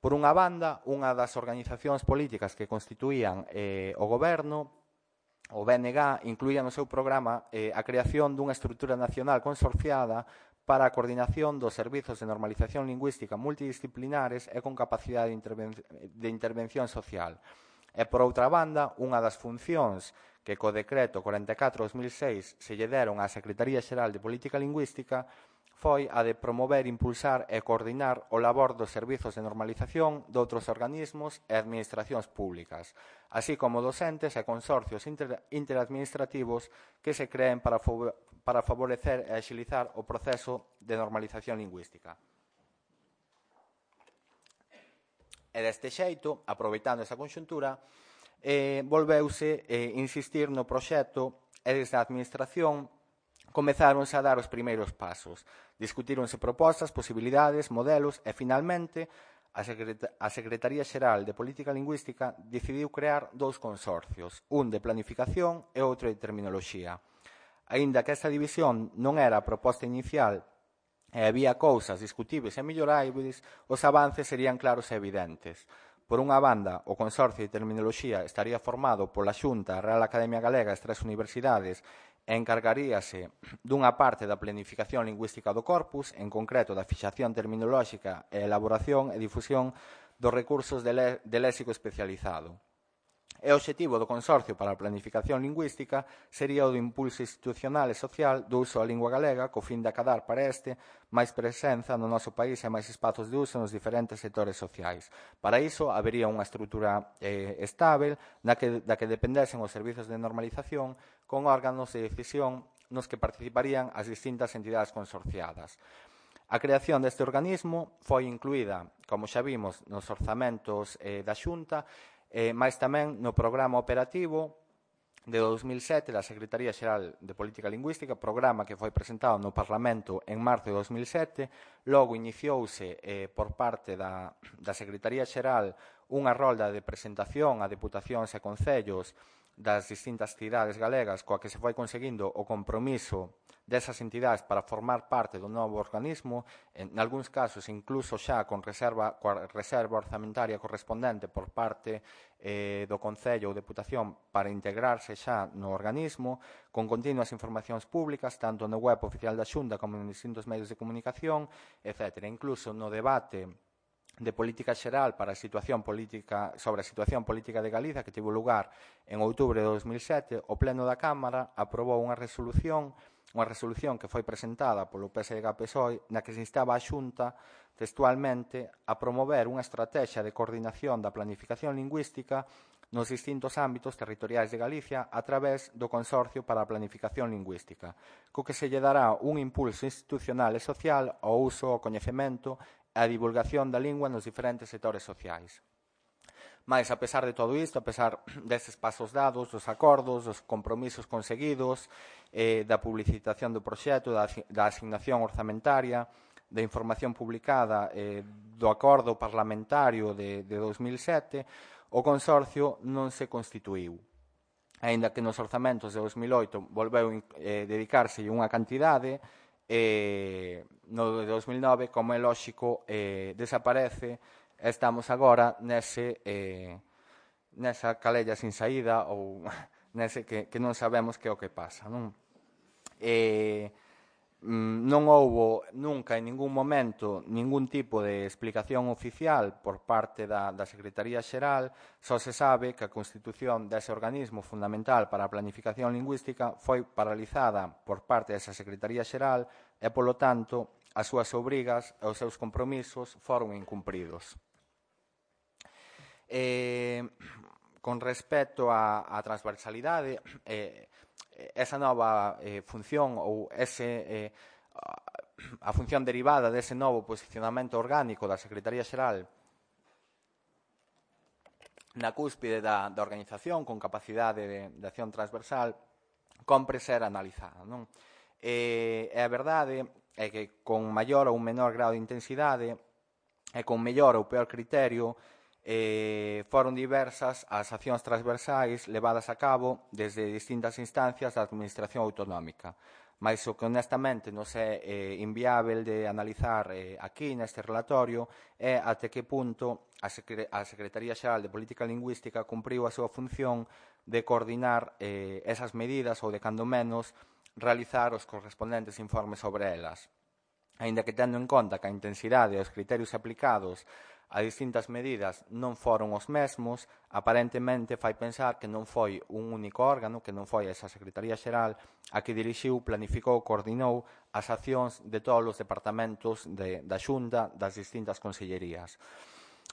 Por unha banda, unha das organizacións políticas que constituían eh, o goberno, o B N G, incluía no seu programa eh, a creación dunha estrutura nacional consorciada para a coordinación dos servizos de normalización lingüística multidisciplinares e con capacidade de, interven de intervención social. E, por outra banda, unha das funcións que co decreto cuarenta e catro barra dos mil seis se lle deron á Secretaría Xeral de Política Lingüística foi a de promover, impulsar e coordinar o labor dos servizos de normalización de outros organismos e administracións públicas, así como docentes e consorcios inter interadministrativos que se creen para, para favorecer e axilizar o proceso de normalización lingüística. E deste xeito, aproveitando esa conxuntura, eh, volveuse eh, insistir no proxecto e desde a administración comezáronse a dar os primeiros pasos. Discutíronse propostas, posibilidades, modelos e, finalmente, a, Secret a Secretaría Xeral de Política Lingüística decidiu crear dous consorcios, un de planificación e outro de terminoloxía. Aínda que esta división non era a proposta inicial e había cousas discutibles e melloráveis, os avances serían claros e evidentes. Por unha banda, o Consorcio de Terminoloxía estaría formado pola Xunta, a Real Academia Galega e as tres universidades e encargaríase dunha parte da planificación lingüística do corpus, en concreto da fixación terminolóxica e elaboración e difusión dos recursos de, de léxico especializado. E o obxectivo do Consorcio para a Planificación Lingüística sería o do impulso institucional e social do uso da lingua galega co fin de acadar para este máis presenza no noso país e máis espazos de uso nos diferentes sectores sociais. Para iso, habería unha estrutura eh, estável na que, da que dependesen os servizos de normalización con órganos de decisión nos que participarían as distintas entidades consorciadas. A creación deste organismo foi incluída, como xa vimos, nos orzamentos eh, da Xunta, Eh, máis tamén no programa operativo de dos mil sete da Secretaría Xeral de Política Lingüística, programa que foi presentado no Parlamento en marzo de dos mil sete, logo iniciouse eh, por parte da, da Secretaría Xeral unha rolda de presentación a deputacións e concellos das distintas cidades galegas coa que se foi conseguindo o compromiso desas entidades para formar parte do novo organismo, en algúns casos incluso xa con reserva, coa reserva orzamentaria correspondente por parte eh, do Concello ou Deputación para integrarse xa no organismo, con continuas informacións públicas, tanto no web oficial da Xunta como en distintos medios de comunicación, etcétera. Incluso no debate de política xeral para a situación política sobre a situación política de Galiza que tivo lugar en outubro de dos mil sete, o Pleno da Cámara aprobou unha resolución, unha resolución que foi presentada polo P S D G P S O E na que se instaba a Xunta textualmente a promover unha estrategia de coordinación da planificación lingüística nos distintos ámbitos territoriais de Galicia a través do Consorcio para a Planificación Lingüística, co que se lle dará un impulso institucional e social ao uso, ao coñecemento a divulgación da lingua nos diferentes sectores sociais. Mais, a pesar de todo isto, a pesar destes pasos dados, dos acordos, dos compromisos conseguidos, eh, da publicitación do proxecto, da, da asignación orzamentaria, da información publicada, eh, do acordo parlamentario de, de dos mil sete, o Consorcio non se constituíu. Aínda que nos orzamentos de dos mil oito volveu eh, dedicarse unha cantidade, Eh, no de dos mil nove, como é lóxico, eh, desaparece e estamos agora nese, eh, nesa calella sin saída ou nese que, que non sabemos que é o que pasa. Non, eh, non houbo nunca en ningún momento ningún tipo de explicación oficial por parte da, da Secretaría Xeral, só se sabe que a constitución dese organismo fundamental para a planificación lingüística foi paralizada por parte desa Secretaría Xeral e, polo tanto, as súas obrigas e os seus compromisos foron incumpridos. Eh, con respecto á, á transversalidade, eh, esa nova eh, función ou ese, eh, a función derivada dese novo posicionamento orgánico da Secretaría Xeral na cúspide da, da organización con capacidade de, de acción transversal compre ser analizada. Non? E, e a verdade é que con maior ou menor grado de intensidade e con mellor ou peor criterio eh, foron diversas as accións transversais levadas a cabo desde distintas instancias da administración autonómica. Mais o que honestamente nos é eh, inviável de analizar eh, aquí neste relatorio é até que punto a, Secre a Secretaría Xeral de Política Lingüística cumpriu a súa función de coordinar eh, esas medidas ou de cando menos realizar os correspondentes informes sobre elas. Aínda que tendo en conta que a intensidade e os criterios aplicados a distintas medidas non foron os mesmos, aparentemente fai pensar que non foi un único órgano, que non foi esa Secretaría Xeral a que dirixiu, planificou, coordinou as accións de todos os departamentos de, da Xunta das distintas consellerías.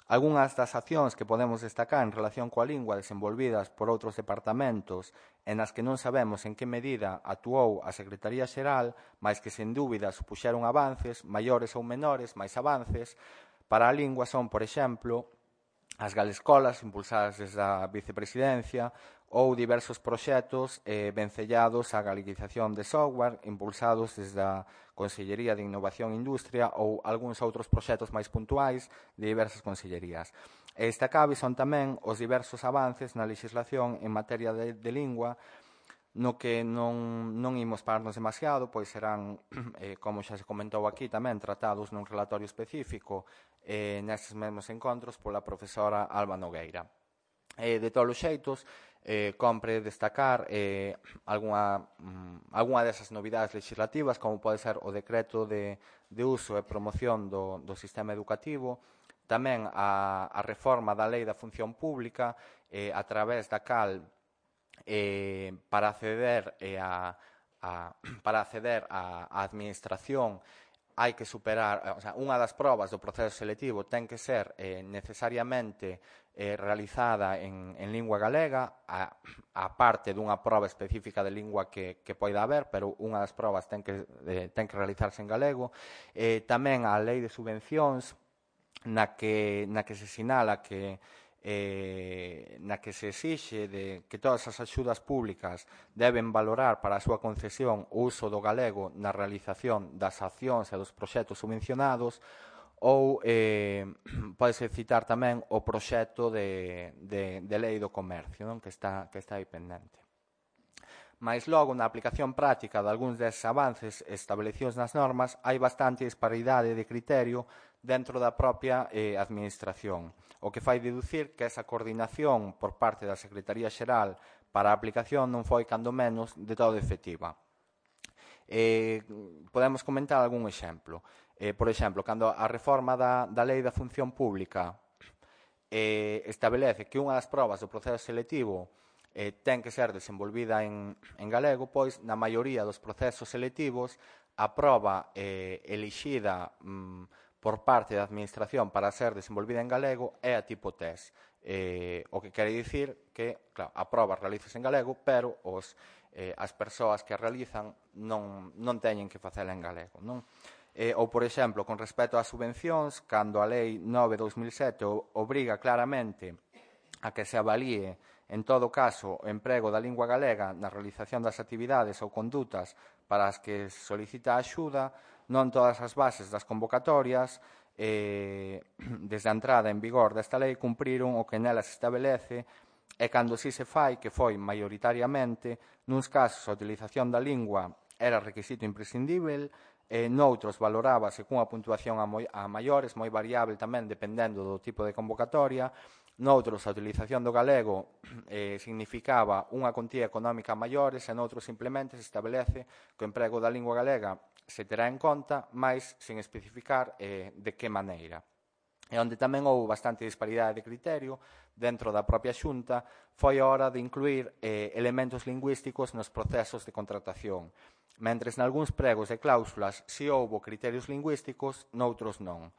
Algúnas das accións que podemos destacar en relación coa lingua desenvolvidas por outros departamentos e nas que non sabemos en que medida actuou a Secretaría Xeral, mas que sen dúbida supuxeron avances, maiores ou menores, máis avances, para a lingua son, por exemplo, as galescolas impulsadas desde a vicepresidencia ou diversos proxectos eh, vencellados á galiquización de software impulsados desde a Consellería de Innovación e Industria ou algúns outros proxectos máis puntuais de diversas consellerías. E destacables son tamén os diversos avances na legislación en materia de, de lingua, no que non, non imos pararnos demasiado, pois serán, eh, como xa se comentou aquí tamén, tratados nun relatorio específico eh, nestes mesmos encontros pola profesora Alba Nogueira. Eh, de todos os xeitos, eh, compre destacar eh, algunha, mm, algunha desas novidades legislativas, como pode ser o decreto de, de uso e promoción do, do sistema educativo, tamén a, a reforma da lei da función pública, eh, a través da cal eh, para acceder eh, a, a, para acceder á administración hai que superar, o sea, unha das probas do proceso selectivo ten que ser eh, necesariamente eh, realizada en, en lingua galega, a, a parte dunha proba específica de lingua que, que poida haber, pero unha das probas ten que, eh, ten que realizarse en galego. Eh, tamén a lei de subvencións, na que, na que se sinala que eh, na que se exixe de que todas as axudas públicas deben valorar para a súa concesión o uso do galego na realización das accións e dos proxectos subvencionados, ou eh, podese citar tamén o proxecto de, de, de lei do comercio, non? Que, está, que está aí pendente. Mais logo, na aplicación práctica de algúns deses avances establecidos nas normas, hai bastante disparidade de criterio dentro da propia eh, administración, o que fai deducir que esa coordinación por parte da Secretaría Xeral para a aplicación non foi, cando menos, de todo efectiva. Eh, podemos comentar algún exemplo. Eh, por exemplo, cando a reforma da, da Lei da Función Pública eh, establece que unha das probas do proceso selectivo eh, ten que ser desenvolvida en, en galego, pois na maioría dos procesos selectivos a proba eh, elixida mm, por parte da administración para ser desenvolvida en galego é a tipo test, eh, o que quere dicir que, claro, a proba realizase en galego, pero os, eh, as persoas que a realizan non, non teñen que facela en galego, non? Eh, ou, por exemplo, con respecto ás subvencións, cando a Lei nove barra dos mil sete obriga claramente a que se avalíe, en todo caso, o emprego da lingua galega na realización das actividades ou condutas para as que se solicita a axuda, non todas as bases das convocatorias, eh, desde a entrada en vigor desta lei, cumpriron o que nelas estabelece, e cando si se fai, que foi maioritariamente, nuns casos a utilización da lingua era requisito imprescindível, e noutros valorábase cunha puntuación a, moi, a maiores, moi variable tamén dependendo do tipo de convocatoria, noutros a utilización do galego eh, significaba unha contía económica a maiores, e noutros simplemente se establece que o emprego da lingua galega se terá en conta, mas sen especificar eh, de que maneira. E onde tamén houve bastante disparidade de criterio dentro da propia Xunta foi a hora de incluir eh, elementos lingüísticos nos procesos de contratación. Mentres nalgúns pregos e cláusulas si houbo criterios lingüísticos, noutros non.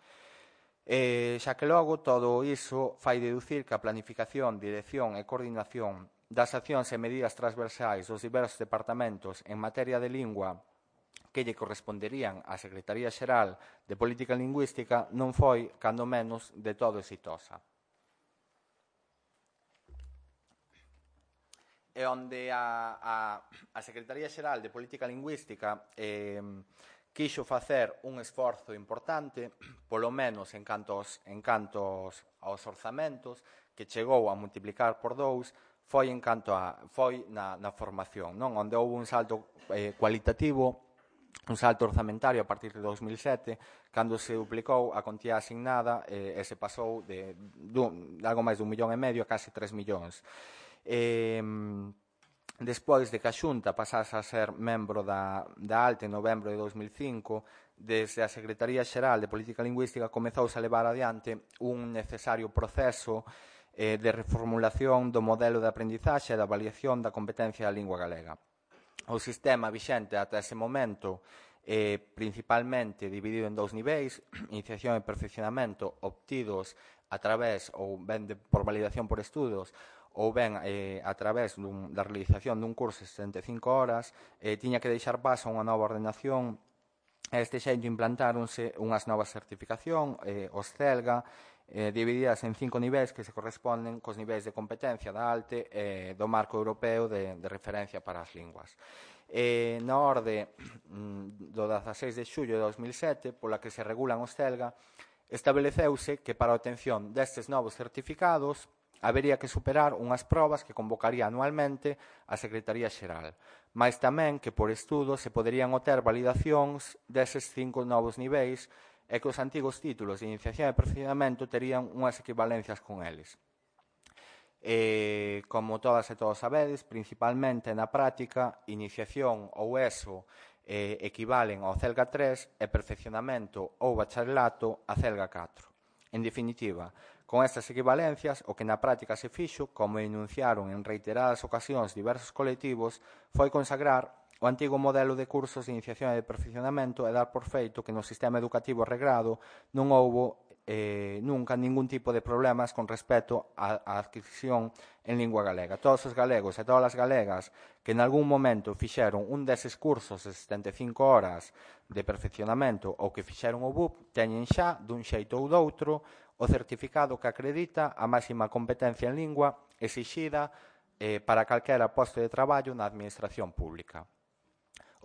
Eh, xa que logo todo iso fai deducir que a planificación, dirección e coordinación das accións e medidas transversais dos diversos departamentos en materia de lingua que lle corresponderían á Secretaría Xeral de Política Lingüística non foi, cando menos, de todo exitosa. E onde a, a, a Secretaría Xeral de Política Lingüística eh, quixo facer un esforzo importante, polo menos en canto aos, en canto aos, aos orzamentos, que chegou a multiplicar por dous, foi en canto a foi na, na formación, non? Onde houve un salto eh, cualitativo, un salto orzamentario a partir de dos mil sete, cando se duplicou a contía asignada eh, e se pasou de, dun, de algo máis dun millón e medio a casi tres millóns. Eh, Despois de que a Xunta pasase a ser membro da, da ALTE en novembro de dos mil cinco, desde a Secretaría Xeral de Política Lingüística comezouse a levar adiante un necesario proceso eh, de reformulación do modelo de aprendizaxe e da avaliación da competencia da lingua galega. O sistema vixente ata ese momento eh, principalmente dividido en dous niveis, iniciación e perfeccionamento obtidos a través ou ben de, por validación por estudos ou ben eh, a través dun, da realización dun curso de setenta e cinco horas, eh, tiña que deixar paso a unha nova ordenación. A este xeito implantáronse unhas novas certificación, eh, os CELGA, eh, divididas en cinco niveis que se corresponden cos niveis de competencia da ALTE e eh, do marco europeo de, de referencia para as linguas. Eh, na orde mm, do dezaseis de xullo de dos mil sete, pola que se regulan os CELGA, estableceuse que para a obtención destes novos certificados habería que superar unhas probas que convocaría anualmente a Secretaría Xeral, mais tamén que por estudo se poderían obter validacións deses cinco novos niveis e que os antigos títulos de iniciación e perfeccionamento terían unhas equivalencias con eles. Eh, como todas e todos sabedes, principalmente na práctica, iniciación ou ESO eh, equivalen ao CELGA tres e perfeccionamento ou bacharelato a CELGA catro. En definitiva, con estas equivalencias, o que na práctica se fixo, como enunciaron en reiteradas ocasións diversos colectivos, foi consagrar o antigo modelo de cursos de iniciación e de perfeccionamento e dar por feito que no sistema educativo regrado non houbo eh, nunca ningún tipo de problemas con respecto á adquisición en lingua galega. Todos os galegos e todas as galegas que en algún momento fixeron un deses cursos de setenta e cinco horas de perfeccionamento ou que fixeron o B U P teñen xa, dun xeito ou doutro, o certificado que acredita a máxima competencia en lingua exixida eh, para calquera posto de traballo na administración pública.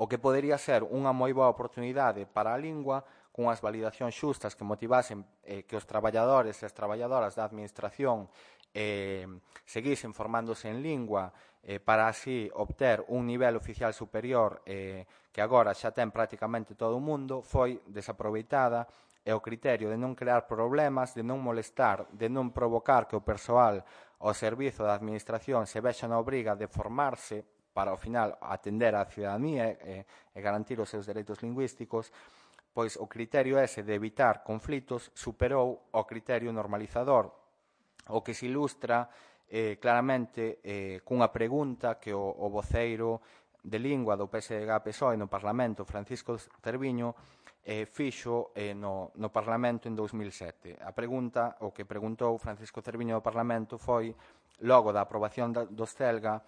O que podería ser unha moi boa oportunidade para a lingua, cunhas validacións xustas que motivasen eh, que os traballadores e as traballadoras da administración eh, seguisen formándose en lingua eh, para así obter un nivel oficial superior eh, que agora xa ten prácticamente todo o mundo, foi desaproveitada e o criterio de non crear problemas, de non molestar, de non provocar que o persoal ao servizo da administración se vexa na obriga de formarse para, ao final, atender á cidadanía e, e garantir os seus dereitos lingüísticos, pois o criterio ese de evitar conflitos superou o criterio normalizador, o que se ilustra eh, claramente eh, cunha pregunta que o, o voceiro de lingua do P S D G P S O E no Parlamento, Francisco Cerviño, eh, fixo eh, no, no Parlamento en dous mil sete. A pregunta, o que preguntou Francisco Cerviño no Parlamento foi, logo da aprobación da, dos CELGA,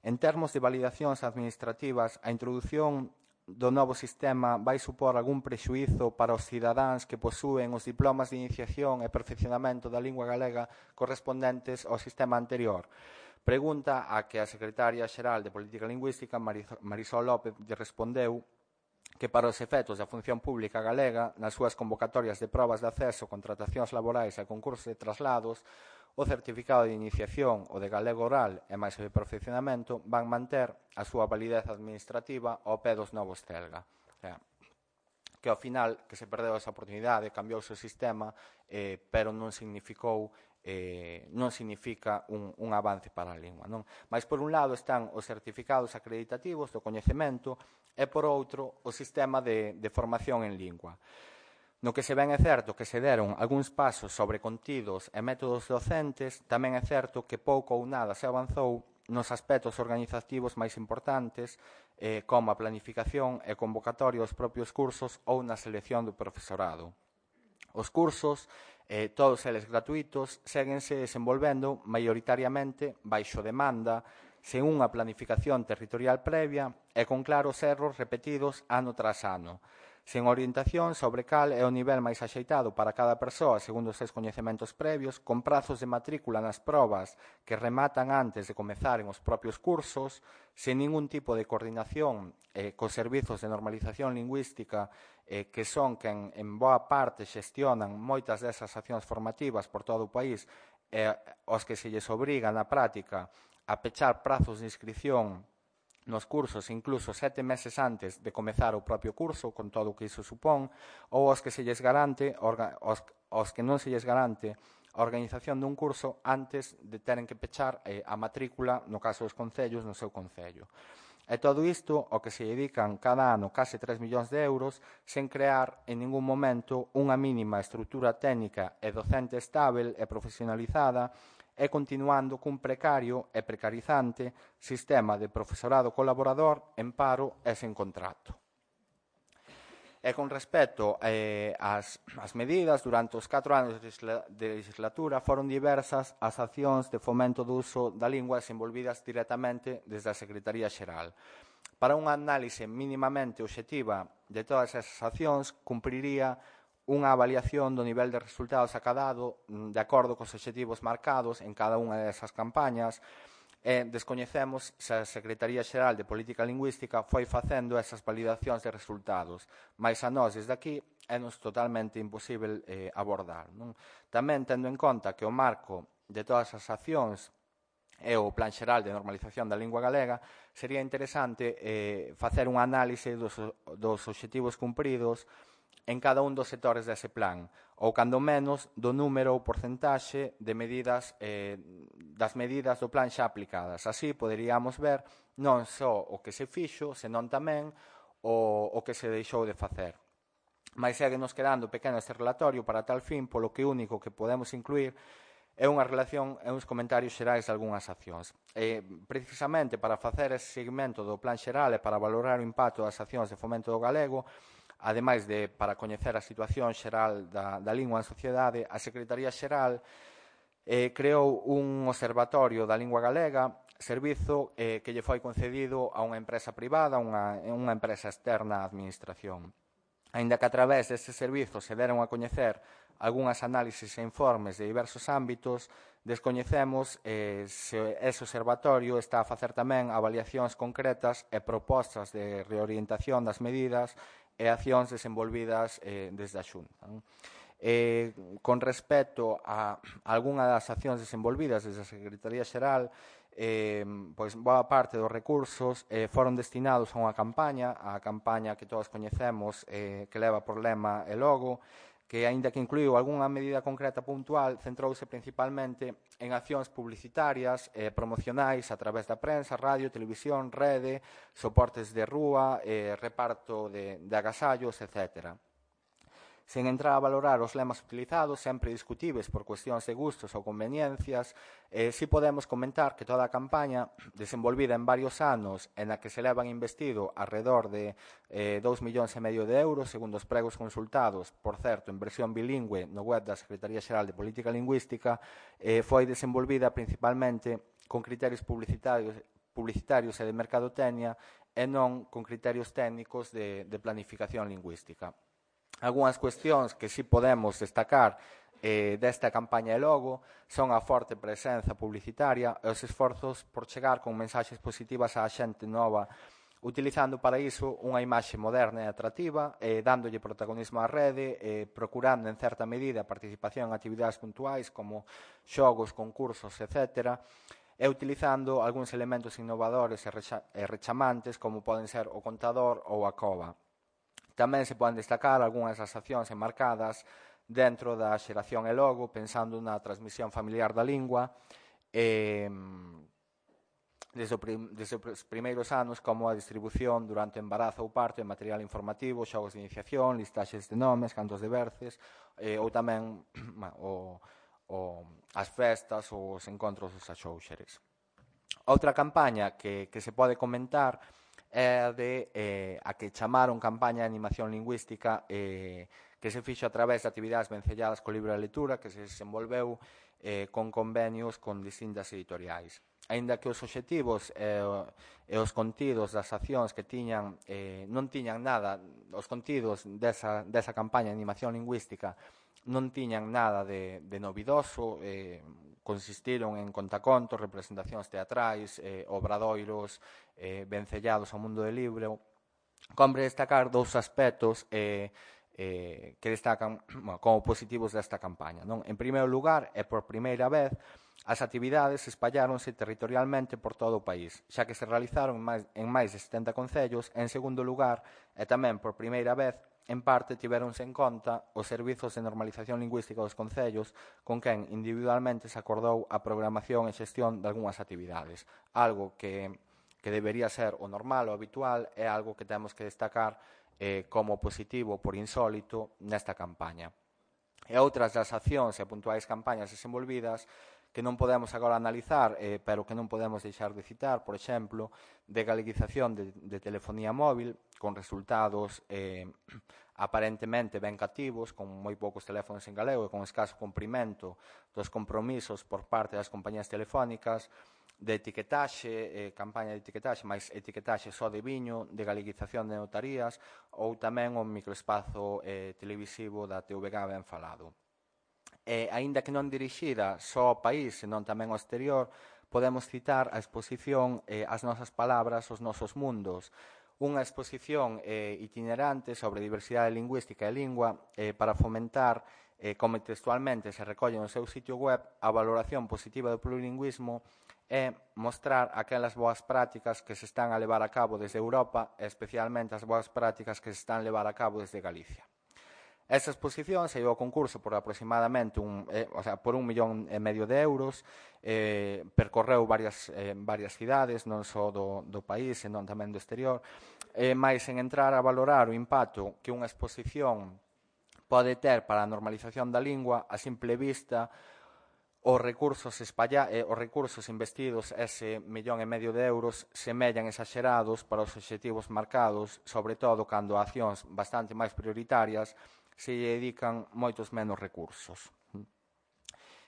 en termos de validacións administrativas, a introdución do novo sistema vai supor algún prexuízo para os cidadáns que posúen os diplomas de iniciación e perfeccionamento da lingua galega correspondentes ao sistema anterior. Pregunta a que a Secretaria Xeral de Política Lingüística, Marisol López, lle respondeu que para os efectos da función pública galega, nas súas convocatorias de probas de acceso, contratacións laborais e concursos de traslados, o certificado de iniciación o de galego oral e máis o de perfeccionamento van manter a súa validez administrativa ao pé dos novos CELGA. O sea, que ao final que se perdeu esa oportunidade, cambiouse o sistema, eh, pero non significou eh, non significa un, un avance para a lingua. Non? Mas por un lado están os certificados acreditativos do coñecemento e por outro o sistema de, de formación en lingua. No que se ven é certo que se deron algúns pasos sobre contidos e métodos docentes, tamén é certo que pouco ou nada se avanzou nos aspectos organizativos máis importantes, eh, como a planificación e convocatoria dos propios cursos ou na selección do profesorado. Os cursos, eh, todos eles gratuitos, séguense desenvolvendo maioritariamente baixo demanda, sen unha planificación territorial previa e con claros erros repetidos ano tras ano. sen orientación sobre cal é o nivel máis axeitado para cada persoa segundo os seus coñecementos previos, con prazos de matrícula nas probas que rematan antes de comezaren os propios cursos, sen ningún tipo de coordinación eh, cos servizos de normalización lingüística eh, que son quen en boa parte xestionan moitas desas accións formativas por todo o país, eh, os que se lles obriga na práctica a pechar prazos de inscripción nos cursos incluso sete meses antes de comezar o propio curso, con todo o que iso supón, ou os que se lles garante, os, os que non se lles garante a organización dun curso antes de teren que pechar eh, a matrícula, no caso dos concellos, no seu concello. E todo isto, o que se dedican cada ano case tres millóns de euros, sen crear en ningún momento unha mínima estrutura técnica e docente estável e profesionalizada, e continuando cun precario e precarizante sistema de profesorado colaborador en paro e sen contrato. E con respecto eh, ás, ás medidas, durante os catro anos de legislatura foron diversas as accións de fomento do uso da lingua desenvolvidas directamente desde a Secretaría Xeral. Para unha análise mínimamente obxectiva de todas esas accións, cumpriría unha avaliación do nivel de resultados acadado de acordo cos obxectivos marcados en cada unha desas campañas e descoñecemos se a Secretaría Xeral de Política Lingüística foi facendo esas validacións de resultados, mais a nós desde aquí é nos totalmente imposible eh, abordar. Non? Tamén tendo en conta que o marco de todas as accións e o Plan Xeral de Normalización da Lingua Galega, sería interesante eh, facer un análise dos, dos obxectivos cumpridos en cada un dos sectores dese plan, ou cando menos do número ou porcentaxe de medidas eh, das medidas do plan xa aplicadas. Así poderíamos ver non só o que se fixo, senón tamén o, o que se deixou de facer. Mais seguenos quedando pequeno este relatorio para tal fin, polo que único que podemos incluir é unha relación e uns comentarios xerais de algunhas accións. E, precisamente para facer ese seguimento do plan xeral e para valorar o impacto das accións de fomento do galego, ademais de para coñecer a situación xeral da, da lingua en sociedade, a Secretaría Xeral eh, creou un observatorio da lingua galega, servizo eh, que lle foi concedido a unha empresa privada, unha, unha empresa externa á administración. Aínda que a través deste servizo se deron a coñecer algunhas análisis e informes de diversos ámbitos, descoñecemos eh, se ese observatorio está a facer tamén avaliacións concretas e propostas de reorientación das medidas e accións desenvolvidas eh, desde a Xunta. Eh, con respecto a algunha das accións desenvolvidas desde a Secretaría Xeral, eh, pois boa parte dos recursos eh, foron destinados a unha campaña, a campaña que todos coñecemos, eh, que leva por lema e logo, que, aínda que incluiu algunha medida concreta puntual, centrouse principalmente en accións publicitarias e eh, promocionais a través da prensa, radio, televisión, rede, soportes de rúa, eh, reparto de, de agasallos, etcétera. Sen entrar a valorar os lemas utilizados, sempre discutibles por cuestións de gustos ou conveniencias, eh, si podemos comentar que toda a campaña, desenvolvida en varios anos, en a que se levan investido alrededor de eh, dous millóns e medio de euros, segundo os pregos consultados, por certo, en versión bilingüe no web da Secretaría Xeral de Política Lingüística, eh, foi desenvolvida principalmente con criterios publicitarios, publicitarios e de mercadotecnia e non con criterios técnicos de, de planificación lingüística. Algúnas cuestións que si podemos destacar eh, desta campaña e logo son a forte presenza publicitaria e os esforzos por chegar con mensaxes positivas á xente nova, utilizando para iso unha imaxe moderna e atractiva, eh, dándolle protagonismo á rede, eh, procurando en certa medida a participación en actividades puntuais como xogos, concursos, etcétera, e utilizando algúns elementos innovadores e, recha e rechamantes como poden ser o contador ou a cova. Tamén se poden destacar algunhas das accións enmarcadas dentro da xeración e logo, pensando na transmisión familiar da lingua, eh, desde, o prim, desde os primeiros anos, como a distribución durante o embarazo ou parto de material informativo, xogos de iniciación, listaxes de nomes, cantos de verces, eh, ou tamén o, o, as festas ou os encontros dos axóuxeres. Outra campaña que, que se pode comentar é de eh, a que chamaron campaña de animación lingüística eh, que se fixo a través de actividades vencelladas co libro de lectura que se desenvolveu eh, con convenios con distintas editoriais. aínda que os obxectivos e, e os contidos das accións que tiñan eh, non tiñan nada, os contidos desa, desa campaña de animación lingüística non tiñan nada de, de novidoso, eh, consistiron en contacontos, representacións teatrais, eh, obradoiros, eh, vencellados ao mundo do libro. Compre destacar dous aspectos eh, eh, que destacan bueno, como positivos desta campaña. Non? En primeiro lugar, e por primeira vez, as actividades espalláronse territorialmente por todo o país, xa que se realizaron en máis, en máis de setenta concellos. En segundo lugar, e tamén por primeira vez, en parte tiveronse en conta os servizos de normalización lingüística dos concellos con quen individualmente se acordou a programación e xestión de algunhas actividades, algo que, que debería ser o normal, o habitual, é algo que temos que destacar eh, como positivo por insólito nesta campaña. E outras das accións e puntuais campañas desenvolvidas que non podemos agora analizar, eh, pero que non podemos deixar de citar, por exemplo, de galeguización de, de telefonía móvil, con resultados eh, aparentemente ben cativos, con moi poucos teléfonos en galego e con escaso cumprimento dos compromisos por parte das compañías telefónicas, de etiquetaxe, eh, campaña de etiquetaxe, máis etiquetaxe só de viño, de galeguización de notarías, ou tamén o microespazo eh, televisivo da T V G ben falado. E, aínda que non dirixida só ao país, senón tamén ao exterior, podemos citar a exposición eh, As nosas palabras, os nosos mundos, unha exposición eh, itinerante sobre diversidade lingüística e lingua eh, para fomentar, eh, como textualmente se recolle no seu sitio web, a valoración positiva do plurilingüismo e mostrar aquelas boas prácticas que se están a levar a cabo desde Europa e especialmente as boas prácticas que se están a levar a cabo desde Galicia. Esta exposición se llevou ao concurso por aproximadamente un, eh, o sea, por un millón e medio de euros, eh, percorreu varias, eh, varias cidades, non só do, do país, senón tamén do exterior, eh, máis en entrar a valorar o impacto que unha exposición pode ter para a normalización da lingua, a simple vista, os recursos, espalla, eh, os recursos investidos, ese millón e medio de euros, semellan exaxerados para os obxectivos marcados, sobre todo cando a accións bastante máis prioritarias se lle dedican moitos menos recursos.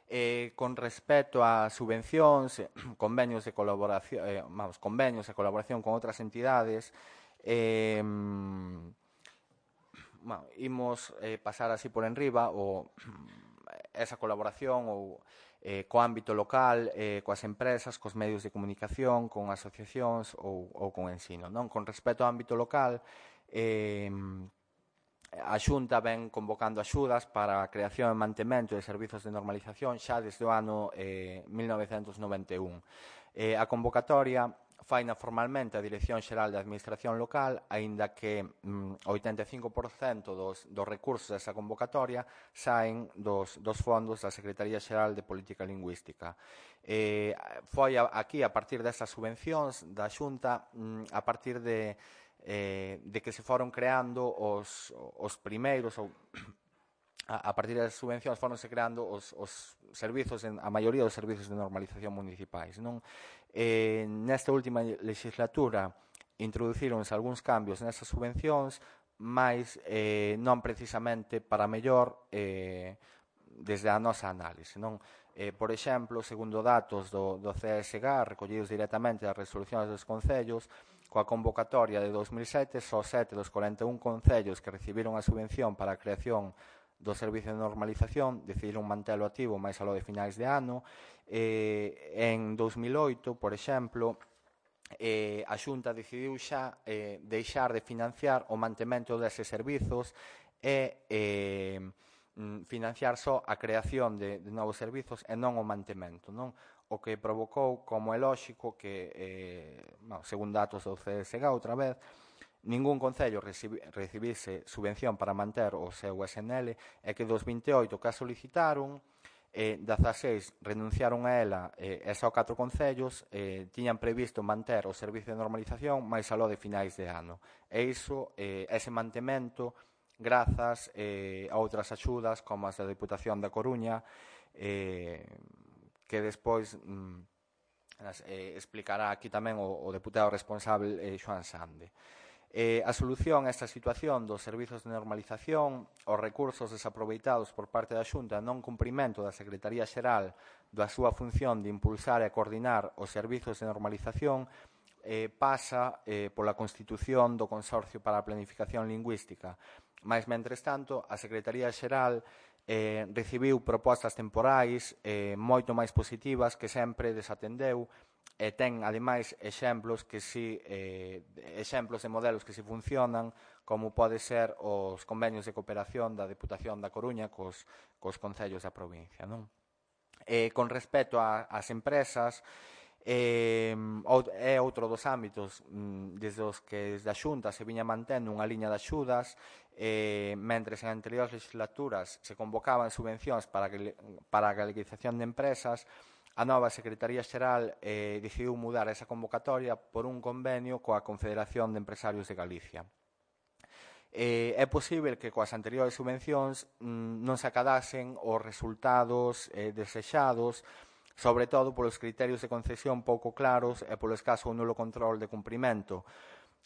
Eh, con respecto a subvencións, eh, convenios de colaboración, eh, vamos, convenios de colaboración con outras entidades, eh, bueno, imos eh, pasar así por enriba o esa colaboración ou eh, co ámbito local, eh, coas empresas, cos medios de comunicación, con asociacións ou, ou con ensino. Non? Con respecto ao ámbito local, eh, a Xunta ven convocando axudas para a creación e mantemento de servizos de normalización xa desde o ano eh, mil novecentos noventa e un. Eh, a convocatoria faina formalmente a Dirección Xeral de Administración Local, aínda que mm, oitenta e cinco por cento dos, dos recursos desa convocatoria saen dos, dos fondos da Secretaría Xeral de Política Lingüística. Eh, foi a, aquí, a partir desas subvencións da Xunta, mm, a partir de Eh, de que se foron creando os, os primeiros ou a, a partir das subvencións foronse creando os, os servizos, en, a maioría dos servizos de normalización municipais. Non? Eh, nesta última legislatura introducíronse algúns cambios nesas subvencións, mas eh, non precisamente para mellor eh, desde a nosa análise. Non? Eh, por exemplo, segundo datos do, do C S G A, recollidos directamente das resolucións dos concellos, coa convocatoria de dos mil sete, só sete dos cuarenta e un concellos que recibiron a subvención para a creación do servicio de normalización decidiron mantelo activo máis aló de finais de ano. Eh, en dos mil oito, por exemplo, eh, a Xunta decidiu xa eh, deixar de financiar o mantemento deses servizos e eh, financiar só a creación de, de novos servizos e non o mantemento, non? O que provocou, como é lóxico, que, eh, bueno, según datos do C S G A, outra vez, ningún concello recibi, recibise subvención para manter o seu S N L e que dos vinte e oito que a solicitaron, eh, dezaseis renunciaron a ela eh, e só catro concellos eh, tiñan previsto manter o servicio de normalización máis aló de finais de ano. E iso, eh, ese mantemento, grazas eh, a outras axudas como as da Deputación da Coruña, eh, que despois mm, eh, explicará aquí tamén o, o deputado responsable eh, Xoán Sande. Eh, a solución a esta situación dos servizos de normalización, os recursos desaproveitados por parte da Xunta non cumprimento da Secretaría Xeral da súa función de impulsar e coordinar os servizos de normalización, eh, pasa eh, pola constitución do Consorcio para a Planificación Lingüística. Mais, mentres tanto, a Secretaría Xeral eh, recibiu propostas temporais eh, moito máis positivas que sempre desatendeu, e ten, ademais, exemplos que si, eh, exemplos de modelos que si funcionan, como pode ser os convenios de cooperación da Deputación da Coruña cos, cos concellos da provincia. Non? Eh, con respecto a, ás empresas, eh, é outro dos ámbitos mm, desde os que desde a Xunta se viña mantendo unha liña de axudas, eh, mentres en anteriores legislaturas se convocaban subvencións para, para a galeguización de empresas, a nova Secretaría Xeral eh, decidiu mudar esa convocatoria por un convenio coa Confederación de Empresarios de Galicia. Eh, é posible que coas anteriores subvencións mm, non se acadasen os resultados eh, desexados, sobre todo polos criterios de concesión pouco claros e polo escaso ou nulo control de cumprimento.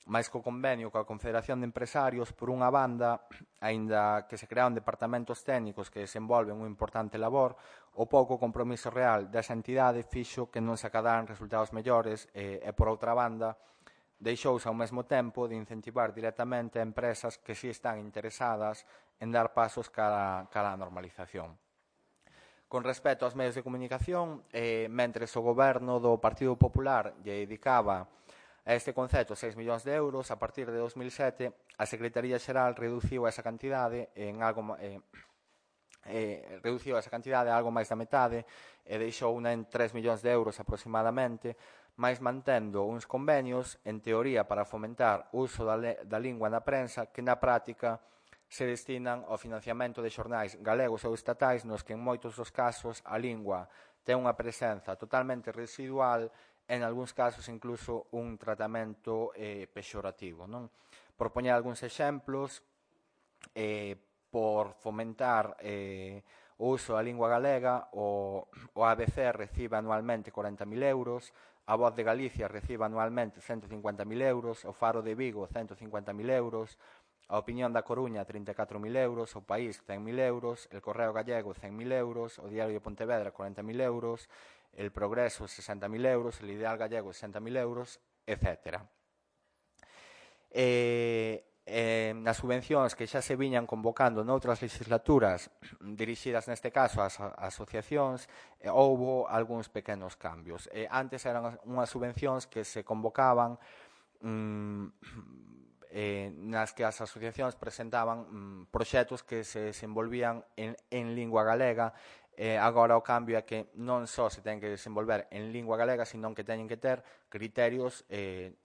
Mais co convenio coa Confederación de Empresarios, por unha banda, aínda que se crearon departamentos técnicos que desenvolven unha importante labor, o pouco compromiso real desa entidade fixo que non se acadaran resultados mellores e, e por outra banda, deixouse ao mesmo tempo de incentivar directamente a empresas que si están interesadas en dar pasos cara, cara á normalización. Con respecto aos medios de comunicación, eh, mentres o goberno do Partido Popular lle dedicaba a este concepto seis millóns de euros, a partir de dos mil sete, a Secretaría Xeral reduciu esa cantidade en algo eh, eh, reduciu esa cantidade a algo máis da metade e deixou unha en tres millóns de euros aproximadamente, máis mantendo uns convenios, en teoría, para fomentar o uso da, da lingua na prensa, que na práctica se destinan ao financiamento de xornais galegos ou estatais nos que en moitos dos casos a lingua ten unha presenza totalmente residual, en algúns casos incluso un tratamento eh, pexorativo. Non? Por poñer algúns exemplos, eh, por fomentar eh, o uso da lingua galega, o, o A B C recibe anualmente corenta mil euros, a Voz de Galicia recibe anualmente cento cincuenta mil euros, o Faro de Vigo cento cincuenta mil euros, a Opinión da Coruña trinta e catro mil euros, o País cen mil euros, el Correo Gallego cen mil euros, o Diario de Pontevedra corenta mil euros, el Progreso sesenta mil euros, el Ideal Gallego sesenta mil euros, etcétera. Eh, eh, nas subvencións que xa se viñan convocando noutras legislaturas dirixidas neste caso ás asociacións, eh, houbo algúns pequenos cambios. Eh, antes eran unhas subvencións que se convocaban mm, eh, nas que as asociacións presentaban mm, proxectos que se desenvolvían en, en lingua galega. Eh, agora o cambio é que non só se ten que desenvolver en lingua galega, sino que teñen que ter criterios eh,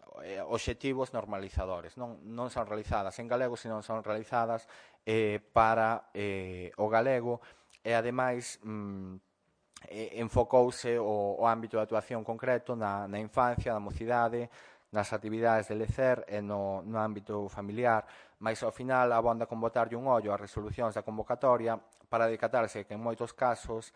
obxectivos normalizadores. Non, non son realizadas en galego, sino son realizadas eh, para eh, o galego e, ademais, mm, eh, enfocouse o, o ámbito de actuación concreto na, na infancia, na mocidade, nas actividades de lecer e no, no ámbito familiar, mas ao final abonda con botarlle un ollo ás resolucións da convocatoria para decatarse que en moitos casos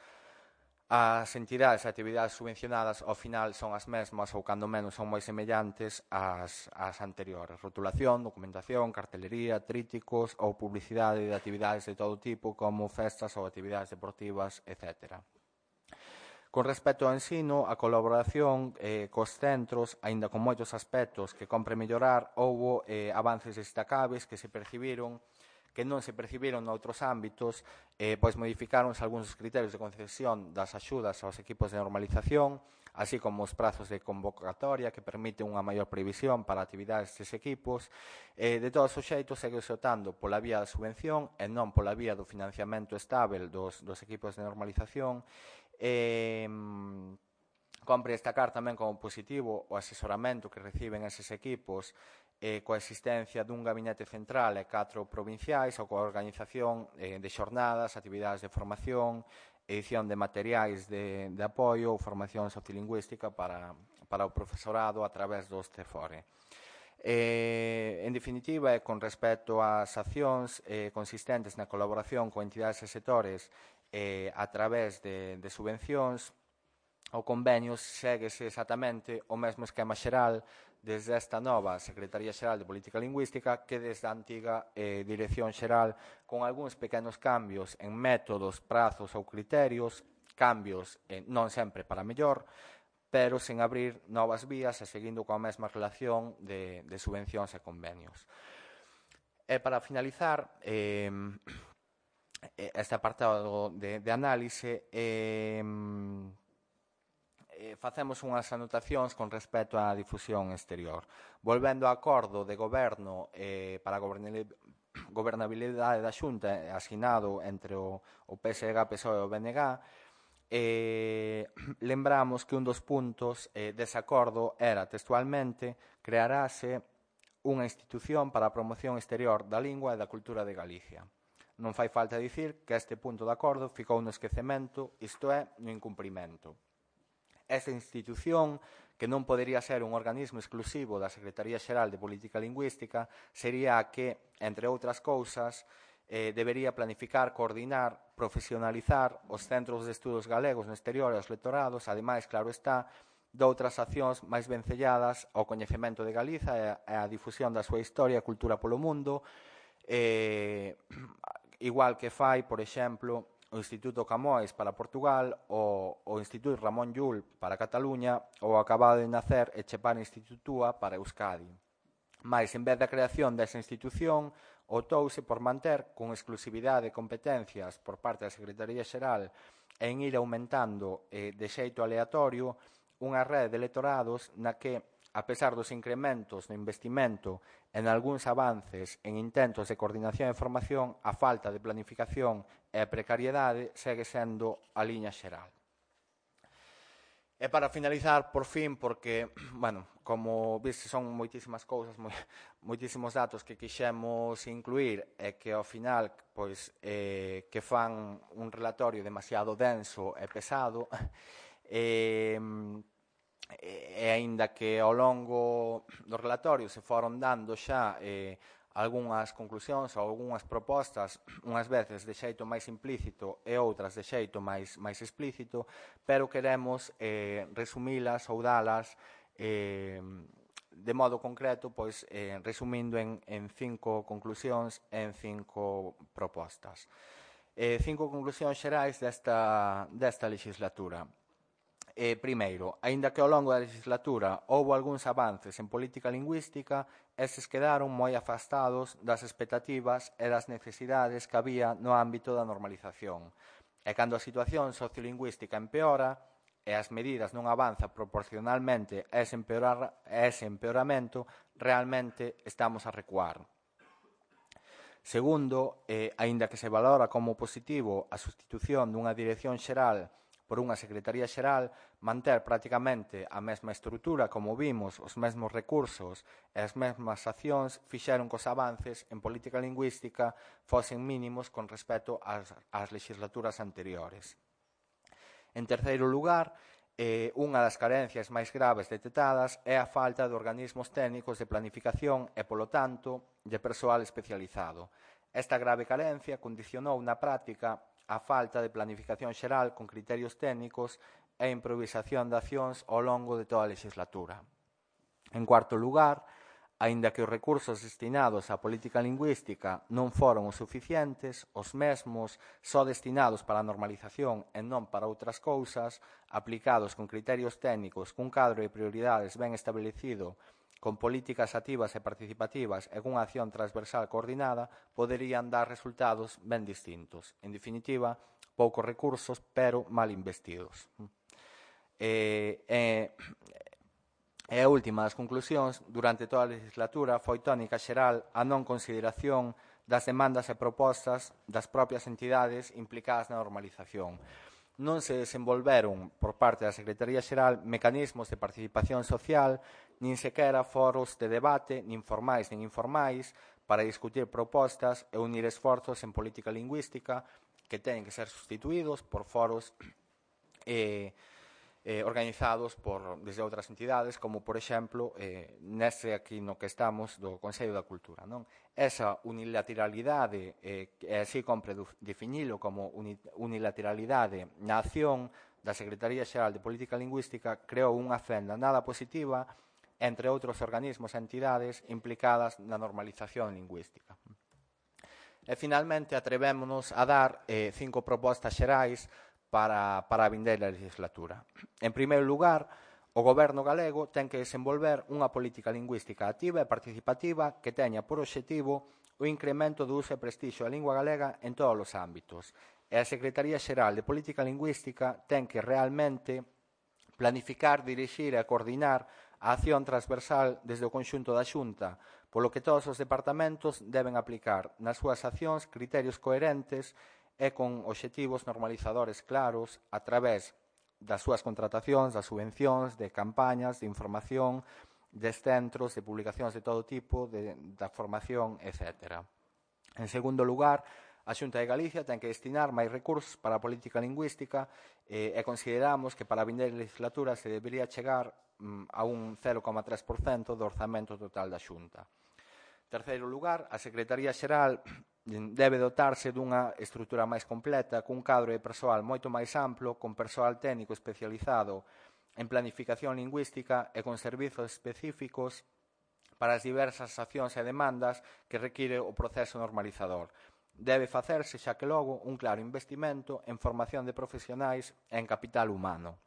as entidades e actividades subvencionadas ao final son as mesmas ou cando menos son moi semellantes ás, ás anteriores. Rotulación, documentación, cartelería, tríticos ou publicidade de actividades de todo tipo como festas ou actividades deportivas, etcétera. Con respecto ao ensino, a colaboración eh, cos centros, aínda con moitos aspectos que compre mellorar, houbo eh, avances destacables que se percibiron, que non se percibiron noutros ámbitos, eh, pois modificáronse algúns criterios de concesión das axudas aos equipos de normalización, así como os prazos de convocatoria que permiten unha maior previsión para actividades destes equipos. Eh, de todos os xeitos, segue optando pola vía da subvención e non pola vía do financiamento estável dos, dos equipos de normalización. Eh, compre destacar tamén como positivo o asesoramento que reciben eses equipos eh, coa existencia dun gabinete central e catro provinciais ou coa organización eh, de xornadas, actividades de formación, edición de materiais de, de apoio ou formación sociolingüística para, para o profesorado a través dos CEFORE. Eh, en definitiva, e con respecto ás accións eh, consistentes na colaboración con entidades e sectores eh, a través de, de subvencións, o convenio séguese exactamente o mesmo esquema xeral desde esta nova Secretaría Xeral de Política Lingüística que desde a antiga eh, Dirección Xeral, con algúns pequenos cambios en métodos, prazos ou criterios, cambios eh, non sempre para mellor, pero sen abrir novas vías e seguindo coa mesma relación de, de subvencións e convenios. E para finalizar, eh, este apartado de, de análise, eh, eh, facemos unhas anotacións con respecto á difusión exterior. Volvendo ao acordo de goberno eh, para a gobernabilidade da Xunta asinado entre o, o P S D G, P S O E e o B N G, eh, lembramos que un dos puntos eh, dese acordo era, textualmente, crearase unha institución para a promoción exterior da lingua e da cultura de Galicia. Non fai falta dicir que este punto de acordo ficou no esquecemento, isto é, no incumprimento. Esta institución, que non podería ser un organismo exclusivo da Secretaría Xeral de Política Lingüística, sería a que, entre outras cousas, eh, debería planificar, coordinar, profesionalizar os centros de estudos galegos no exterior e os lectorados, ademais, claro está, doutras accións máis vencelladas ao coñecemento de Galiza e á difusión da súa historia e cultura polo mundo, eh, igual que fai, por exemplo, o Instituto Camões para Portugal, o, o Instituto Ramón Llull para Cataluña ou o acabado de nacer Etxepare Institutua para Euskadi. Mais, en vez da creación desa institución, optouse por manter con exclusividade de competencias por parte da Secretaría Xeral e en ir aumentando eh, de xeito aleatorio unha rede de lectorados na que, a pesar dos incrementos no investimento en algúns avances en intentos de coordinación e formación, a falta de planificación e a precariedade segue sendo a liña xeral. E para finalizar, por fin, porque, bueno, como viste, son moitísimas cousas, moi, moitísimos datos que quixemos incluir e que ao final, pois, eh, que fan un relatorio demasiado denso e pesado, e, e aínda que ao longo do relatorio se foron dando xa eh, algunhas conclusións ou algunhas propostas, unhas veces de xeito máis implícito e outras de xeito máis, máis explícito, pero queremos eh, resumilas ou dalas eh, de modo concreto, pois, eh, resumindo en, en cinco conclusións e en cinco propostas. Eh, cinco conclusións xerais desta, desta legislatura. Eh, primeiro, aínda que ao longo da legislatura houbo algúns avances en política lingüística, estes quedaron moi afastados das expectativas e das necesidades que había no ámbito da normalización. E cando a situación sociolingüística empeora e as medidas non avanzan proporcionalmente a ese, empeorar, a ese empeoramento, realmente estamos a recuar. Segundo, eh, aínda que se valora como positivo a sustitución dunha dirección xeral por unha Secretaría Xeral, manter prácticamente a mesma estrutura, como vimos, os mesmos recursos e as mesmas accións fixeron que os avances en política lingüística fosen mínimos con respecto ás, ás legislaturas anteriores. En terceiro lugar, eh, unha das carencias máis graves detectadas é a falta de organismos técnicos de planificación e, polo tanto, de persoal especializado. Esta grave carencia condicionou na práctica a falta de planificación xeral con criterios técnicos e improvisación de accións ao longo de toda a legislatura. En cuarto lugar, aínda que os recursos destinados á política lingüística non foron os suficientes, os mesmos só destinados para a normalización e non para outras cousas, aplicados con criterios técnicos cun cadro de prioridades ben establecido, con políticas activas e participativas e cunha acción transversal coordinada, poderían dar resultados ben distintos. En definitiva, poucos recursos, pero mal investidos. E, e, e a última das conclusións, durante toda a legislatura, foi tónica xeral a non consideración das demandas e propostas das propias entidades implicadas na normalización. Non se desenvolveron por parte da Secretaría Xeral mecanismos de participación social, nin sequera foros de debate, nin formais nin informais, para discutir propostas e unir esforzos en política lingüística que teñen que ser sustituídos por foros eh, eh, organizados por, desde outras entidades, como, por exemplo, eh, neste aquí no que estamos do Consello da Cultura. Non? Esa unilateralidade, eh, e así compre definilo como unilateralidade na acción da Secretaría Xeral de Política Lingüística creou unha fenda nada positiva entre outros organismos e entidades implicadas na normalización lingüística. E, finalmente, atrevémonos a dar eh, cinco propostas xerais para, para a vindeira legislatura. En primeiro lugar, o Goberno galego ten que desenvolver unha política lingüística activa e participativa que teña por obxectivo o incremento do uso e prestixio da lingua galega en todos os ámbitos. E a Secretaría Xeral de Política Lingüística ten que realmente planificar, dirixir e coordinar a acción transversal desde o conxunto da Xunta, polo que todos os departamentos deben aplicar nas súas accións criterios coherentes e con obxectivos normalizadores claros a través das súas contratacións, das subvencións, de campañas, de información, de centros, de publicacións de todo tipo, de, da formación, etcétera. En segundo lugar, a Xunta de Galicia ten que destinar máis recursos para a política lingüística eh, e consideramos que para a vindeira legislatura se debería chegar mm, a un cero coma tres por cento do orzamento total da Xunta. En terceiro lugar, a Secretaría Xeral debe dotarse dunha estrutura máis completa, cun cadro de persoal moito máis amplo, con persoal técnico especializado en planificación lingüística e con servizos específicos para as diversas accións e demandas que require o proceso normalizador. Debe facerse, xa que logo, un claro investimento en formación de profesionais e en capital humano.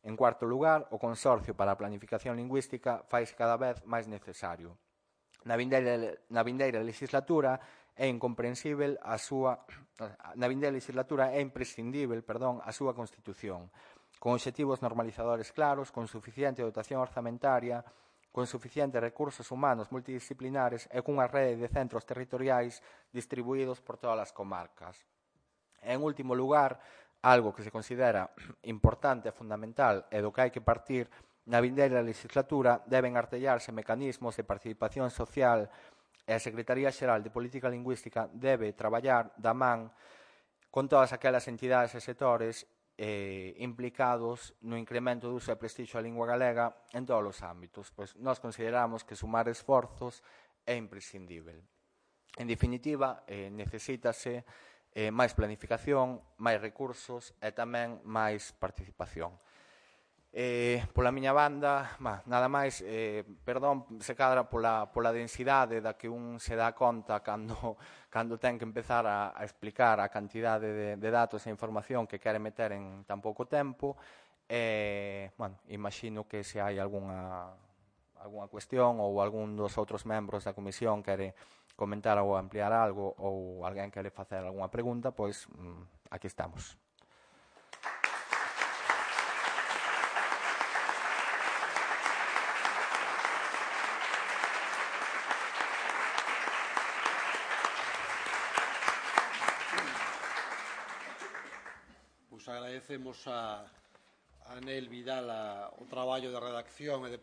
En cuarto lugar, o Consorcio para a Planificación Lingüística faise cada vez máis necesario. Na vindeira, na vindeira legislatura é incomprensível a súa na vindeira legislatura é imprescindível, perdón, a súa constitución, con obxectivos normalizadores claros, con suficiente dotación orzamentaria, con suficientes recursos humanos multidisciplinares e cunha rede de centros territoriais distribuídos por todas as comarcas. En último lugar, algo que se considera importante e fundamental e do que hai que partir na vindeira legislatura deben artellarse mecanismos de participación social e a Secretaría Xeral de Política Lingüística debe traballar da man con todas aquelas entidades e sectores eh, implicados no incremento do uso e prestixio da lingua galega en todos os ámbitos, pois nós consideramos que sumar esforzos é imprescindível. En definitiva, eh, necesítase eh, máis planificación, máis recursos e tamén máis participación. Eh, pola miña banda, bah, nada máis, eh, perdón, se cadra pola, pola densidade da que un se dá conta cando, cando ten que empezar a, a explicar a cantidade de, de datos e información que quere meter en tan pouco tempo. Eh, bueno, imagino que se hai algunha, algunha cuestión ou algún dos outros membros da comisión quere comentar ou ampliar algo ou alguén quere facer algunha pregunta, pois mm, aquí estamos. Agradecemos a, a Anel Vidal a, o traballo de redacción e de